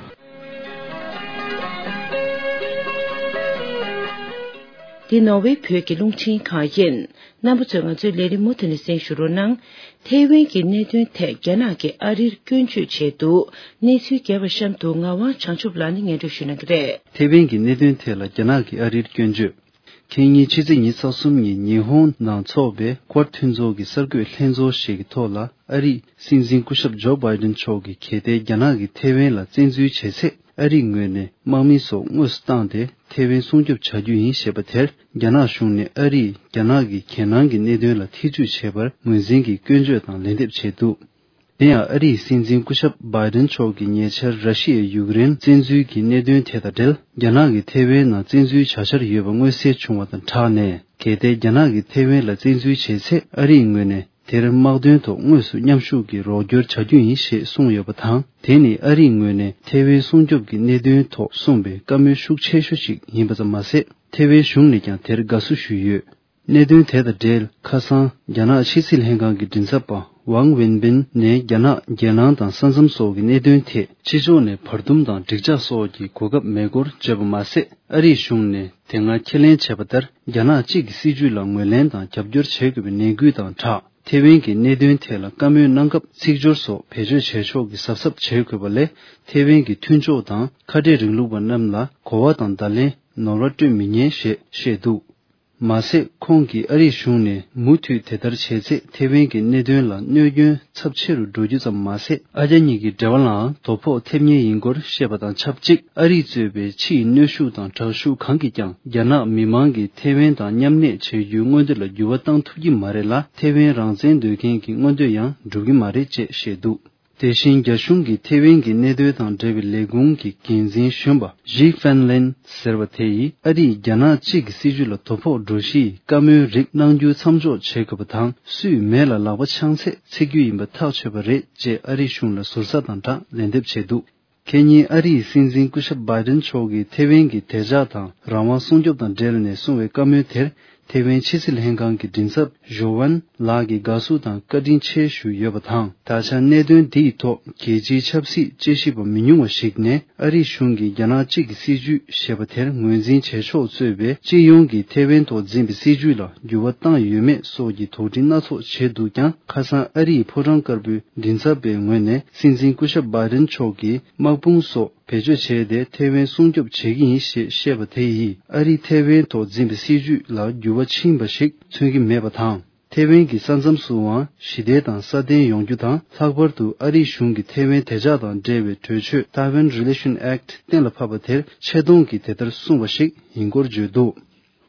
འདི་ནོར་ཝེ་བོད་ཀྱི་རླུང་འཕྲིན་ཁང་ཡིན། རྣམ་པ་ཚོས་ང་ཚོའི་ལས་རིམ་མུ་མཐུད་ནས་གསན་ཞུ་རོགས་གནང་། ཐེ་ཝན་གྱི་གནད་དོན་ཐད་རྒྱ་ནག་གིས་ཨ་རིར་སྐྱོན་བརྗོད་བྱས་འདུག་གནས་ཚུལ་རྒྱས་པ་གཤམ་དུ་ངག་དབང་བྱང་ཆུབ་ལགས་ནས་སྙན་སྒྲོན་ཞུ་གནང་གི་རེད། ཐེ་ཝན་གྱི་གནད་དོན་ཐད་ལ་རྒྱ་ནག་གིས་ཨ་རིར་སྐྱོན་བརྗོད། ཁེ་ཉིན་ཕྱི་ཚེས་ཉི་ཤུ་རྩ་གསུམ་ཉིན་ཉི་ཧོང་ནང་འཚོགས་པའི་ཀོར་མཐུན་ཚོགས་ཀྱི་གསར་འགོད་ལྷན་ཚོགས་ཤིག་གི་ཐོག་ལ། ཨ་རིའི་སྲིད་འཛིན་སྐུ་ཞབས་ཇོ་བྷའི་ཌེན་མཆོག་གིས་གལ་ཏེ་རྒྱ་ནག་གིས་ཐེ་ཝན་ལ་བཙན་འཛུལ་བྱས་ཚེ། ཨ་རིའི་ངོས་ནས་དམག་མི་སོགས་དངོས་སུ་བཏང་སྟེ་ཐེ་ཝན་སྲུང་སྐྱོབ་བྱ་རྒྱུ་ཡིན་ཞེས་པ་དེར། རྒྱ་ནག་གཞུང་ནས་ཨ་རིས་རྒྱ་ནག་གི་གྱེན་ལངས་ཀྱི་གནད་དོན་ལ་ཐེ་ཇུས་བྱས་པར་ངོས་འཛིན་གྱིས་སྐྱོན་བརྗོད་དང་ལན་འདེབས་བྱས་འདུག་དེ་ཡང་ཨ་རིའི་སྲིད་འཛིན་སྐུ་ཞབས་བྷའི་ཌེན་མཆོག་གིས་ཉེ་ཆར་ར་ཤི་ཡས་ཡུཀ་རེན་བཙན་འཛུལ་གྱི་གནད་དོན་དེ་དང་འབྲེལ། རྒྱ་ནག་གིས་ཐེ་ཝན་ནང་བཙན་འཛུལ་བྱ་འཆར་ཡོད་པ་མངོན་གསལ་བྱུང་བ་དང་སྦྲགས་ནས། གལ་ཏེ་རྒྱ་ནག་གིས་ཐེ་ཝན་ལ་བཙན་འཛུལ་བྱས་ཚེ། ཨ་རིའི་ངོས་ནས་དེར་དམག་དོན་ཐོག་དངོས་སུ་མཉམ་ཞུགས་ཀྱིས་རོགས་སྐྱོར་བྱ་རྒྱུ་ཡིན་ཞེས་གསུངས་ཡོད་པ་དང་། དེ་ནི་ཨ་རིའི་ངོས་ནས་ཐེ་ཝན་སྲུང་སྐྱོབ་ཀྱི་གནད་དོན་ཐོག་གསུངས་པའི་བཀའ་མོལ་ཤུགས་ཆེ་ཤོས་ཤིག་ཡིན་པ་ཙམ་མ་ཟད། ཐེ་ཝན་གཞུང་ནས་ཀྱང་དེར་དགའ་བསུ་ཞུས་ཡོད། གནད་དོན་དེ་དང་འབྲེལ། ཁ་སང་རྒྱ་ནག་ཕྱི་སྲིད་ལྷན་ཁང་གི་མགྲིན་ཚབ་པ་ཝང་ཝེན་པིན་ནས་རྒྱ་ནག་གྱེན་ལངས་དང་ས་མཚམས་སོགས་ཀྱི་གནད་དོན་ཐད་ཕྱི་ཕྱོགས་ནས་བར་འདུམ་དང་འགྲིག་འཇགས་སོགས་ཀྱི་གོ་སྐབས་མེད་སྐོར་བརྗོད་པ་མ་ཟད། ཨ་རིའི་གཞུང་ནས་དེ་སྔ་ཁས་ལེན་བྱས་པ་ལྟར། རྒྱ་ནག་གཅིག་གི་སྲིད་བྱུས་ལ་ངོས་ལེན་དང་རྒྱབ་སྐྱོར་བྱེད་དགོས་པའི་ནན་སྐུལ་དང་སྦྲགས། ཐེ་ཝན་གྱི་གནད་དོན་ཐད་ལ་བཀའ་མོལ་གནང་སྐབས། ཚིག་སྦྱོར་སོགས་བེད་སྤྱོད་བྱས་ཆོག་གི་གཟབ་གཟབ་བྱེད་དགོས་པ་ལས། ཐེ་ཝན་གྱི་མཐུན་ཕྱོགས་དང་ཁ་བྲལ་རིང་ལུགས་པ་རྣམས་ལ་གོ་བ་དང་བརྡ་ལན་ནོར་བ་སྤྲོད་མི་ཉན་ཞེས་བཤད་འདུག་མ་ཟད། ཁོང་གིས་ཨ་རིའི་གཞུང་ནས་མུ་མཐུད་དེ་ལྟར་བྱས་ཚེ། ཐེ་ཝན་གྱི་གནད་དོན་ལ་གནོད་སྐྱོན་ཚབས་ཆེ་རུ་འགྲོ་རྒྱུ་ཙམ་མ་ཟད། ཨ་རྒྱ་གཉིས་ཀྱི་འབྲེལ་བ་ལའང་དོ་ཕོག་ཐེབས་ངེས་ཡིན་སྐོར་བཤད་པ་དང་ཆབས་ཅིག་ཨ་རིས་གཙོས་པའི་ཕྱིའི་གནོན་ཤུགས་དང་དྲག་ཤུགས་གང་གིས་ཀྱང་། རྒྱ་ནག་མི་མང་གིས་ཐེ་ཝན་དང་མཉམ་གནས་བྱེད་རྒྱུའི་མངོན་འདོད་ལ་འགྱུར་བ་བཏང་ཐུབ་ཀྱི་མ་རེད་ལ། ཐེ་ཝན་རང་བཙན་འདོད་མཁན་གྱི་མངོན་འདོད་ཡང་འགྲུབ་ཀྱི་མ་རེད་ཅེས་བཤད་འདུག་དེ་བཞིན། རྒྱ་གཞུང་གིས་ཐེ་ཝན་གྱི་གནད་དོན་དང་འབྲེལ་བའི་ལས་ཁུངས་ཀྱི་འགན་འཛིན་གཞོན་པ་ཞི་ཧྥན་ལིན་ཟེར་བ་དེ་ཡིས། ཨ་རིས་རྒྱ་ནག་གཅིག་གི་སྲིད་བྱུས་ལ་དོ་ཕོག་འགྲོ་གཞིའི་བཀའ་མོལ་རིགས་གནང་རྒྱུ་མཚམས་འཇོག་བྱེད་དགོས་པ་དང་། སུས་མེ་ལ་ལག་པ་འཆང་ཚད་འཚིག་རྒྱུ་ཡིན་པ་ཐག་ཆོད་པ་རེད་ཅེས་ཨ་རིའི་གཞུང་ལ་ཟུར་ཟ་དང་སྦྲགས་ལན་འདེབས་བྱས་འདུག་ཁེ་ཉིན་ཨ་རིའི་སྲིད་འཛིན་སྐུ་ཞབས་བྷའི་ཌེན་མཆོག་གིས་ཐེ་ཝན་གྱི་བདེ་འཇགས་དང་རང་དབང་སྲུང་སྐྱོབ་དང་འབྲེལ་ནས་གསུངས་པའི་བཀའ་མོལ་དེར། ཐེ་ཝན་ཕྱི་སྲིད་ལྷན་ཁང་གི་མགྲིན་ཚབ་ཞོ་ཝན་ལགས་ཀྱིས་དགའ་བསུ་དང་བཀའ་དྲིན་ཆེ་ཞུས་ཡོད་པ་དང་། ད་ཆ་གནད་དོན་འདི་ཡི་ཐོག་རྒྱལ་སྤྱིའི་ཆབ་སྲིད་དཔྱད་ཞིབ་པ་མི་ཉུང་བ་ཞིག་ནས་ཨ་རིའི་གཞུང་གིས་རྒྱ་ནག་གཅིག་གི་སྲིད་ཇུས་ཞེས་པ་དེར་ངོས་འཛིན་བྱེད་ཆོག་གཙོས་པའི་སྤྱི་ཡོངས་ཀྱི་ཐེ་ཝན་ཐོག་འཛིན་པའི་སྲིད་ཇུས་ལ་འགྱུར་བ་བཏང་ཡོད་མེད་སོགས་ཀྱི་དོགས་འདྲི་སྣ་ཚོགས་བྱས་འདུག་ཀྱང་། ཁ་སང་ཨ་རིའི་ཕོ་བྲང་དཀར་པོའི་མགྲིན་ཚབ་པའི་ངོས་ནས་སྲིད་འཛིན་སྐུ་ཞབས་བྷའི་ཌེན་མཆོག་གིས་དམག་དཔུང་སོགས་བེད་སྤྱོད་བྱས་ཏེ་ཐེ་ཝན་སྲུང་སྐྱོབ་བྱེད་ཀྱི་ཡིན་ཞེས་བཤད་པ་དེ་ཡིས་ཨ་རིས་ཐེ་ཝན་ཐོག་འཛིན་པའི་སྲིད་ཇུས་ལ་འགྱུར་བ་ཕྱིན་པ་ཞིག་མཚོན་གྱི་མེད་པ་དང་། ཐེ་ཝན་གྱི་ས་མཚམས་སུའང་ཞི་བདེ་དང་སྲ་བརྟན་ཡོང་རྒྱུ་དང་། ལྷག་པར་དུ་ཨ་རིའི་གཞུང་གིས་ཐེ་ཝན་བདེ་འཇགས་དང་འབྲེལ་བའི་གྲོས་ཆོད་Taiwan Relation Act གཏན་ལ་ཕབ་པ་དེར་ཆེ་མཐོང་གིས་དེ་ལྟར་གསུངས་པ་ཞིག་ཡིན་སྐོར་བརྗོད་འདུག་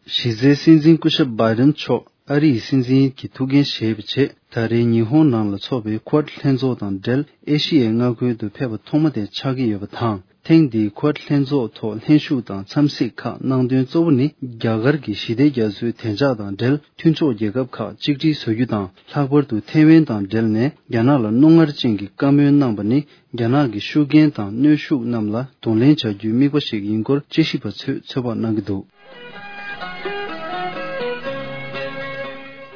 གཞི་རྩའི་སྲིད་འཛིན་སྐུ་ཞབས་བྷའི་ཌེན་མཆོག་ཨ་རིའི་སྲིད་འཛིན་གྱི་ཐུགས་འགན་བཞེས་པའི་རྗེས། ད་རེས་ཉི་ཧོང་ནང་ལ་འཚོགས་པའི་Quad ལྷན་ཚོགས་དང་འབྲེལ་ཨེ་ཤི་ཡའི་མངའ་ཁུལ་དུ་ཕེབས་པ་ཐོག་མ་དེ་ཆགས་ཀྱི་ཡོད་པ་དང་། ཐེངས་འདིའི་Quad ལྷན་ཚོགས་ཐོག་ལྷན་ཞུགས་དང་འཚམས་གཟིགས་ཁག་གནང་དོན་གཙོ་བོ་ནི། རྒྱ་གར་གྱི་ཞི་བདེ་རྒྱ་མཚོའི་བདེ་འཇགས་དང་འབྲེལ་མཐུན་ཕྱོགས་རྒྱལ་ཁབ་ཁག་གཅིག་སྒྲིལ་བཟོ་རྒྱུ་དང་། ལྷག་པར་དུ་ཐེ་ཝན་དང་འབྲེལ་ནས་རྒྱ་ནག་ལ་རྣོ་ངར་ཅན་གྱི་བཀའ་མོལ་གནང་པ་ནི། རྒྱ་ནག་གི་ཤུགས་རྐྱེན་དང་གནོན་ཤུགས་རྣམས་ལ་གདོང་ལེན་བྱ་རྒྱུའི་དམིགས་པ་ཞིག་ཡིན་སྐོར་དཔྱད་ཞིབ་པ་ཚོས་ཚོད་དཔག་གནང་གི་འདུག་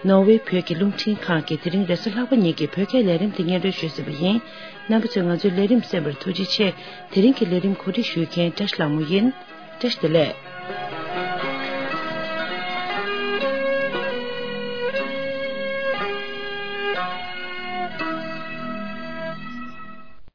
ནོར་ཝེ་བོད་ཀྱི་རླུང་འཕྲིན་ཁང་གིས་དེ་རིང་རེས་གཟའ་ལྷག་པ་ཉིན་གྱི་བོད་སྐད་ལས་རིམ་དེ་སྙན་སྒྲོན་ཞུས་ཟིན་པ་ཡིན། རྣམ་པ་ཚོས་ང་ཚོའི་ལས་རིམ་གསན་པར་ཐུགས་རྗེ་ཆེ། དེ་རིང་གི་ལས་རིམ་གོ་སྒྲིག་ཞུ་མཁན་བཀྲ་ཤིས་ལྷ་མོ་ཡིན། བཀྲ་ཤིས་བདེ་ལེགས།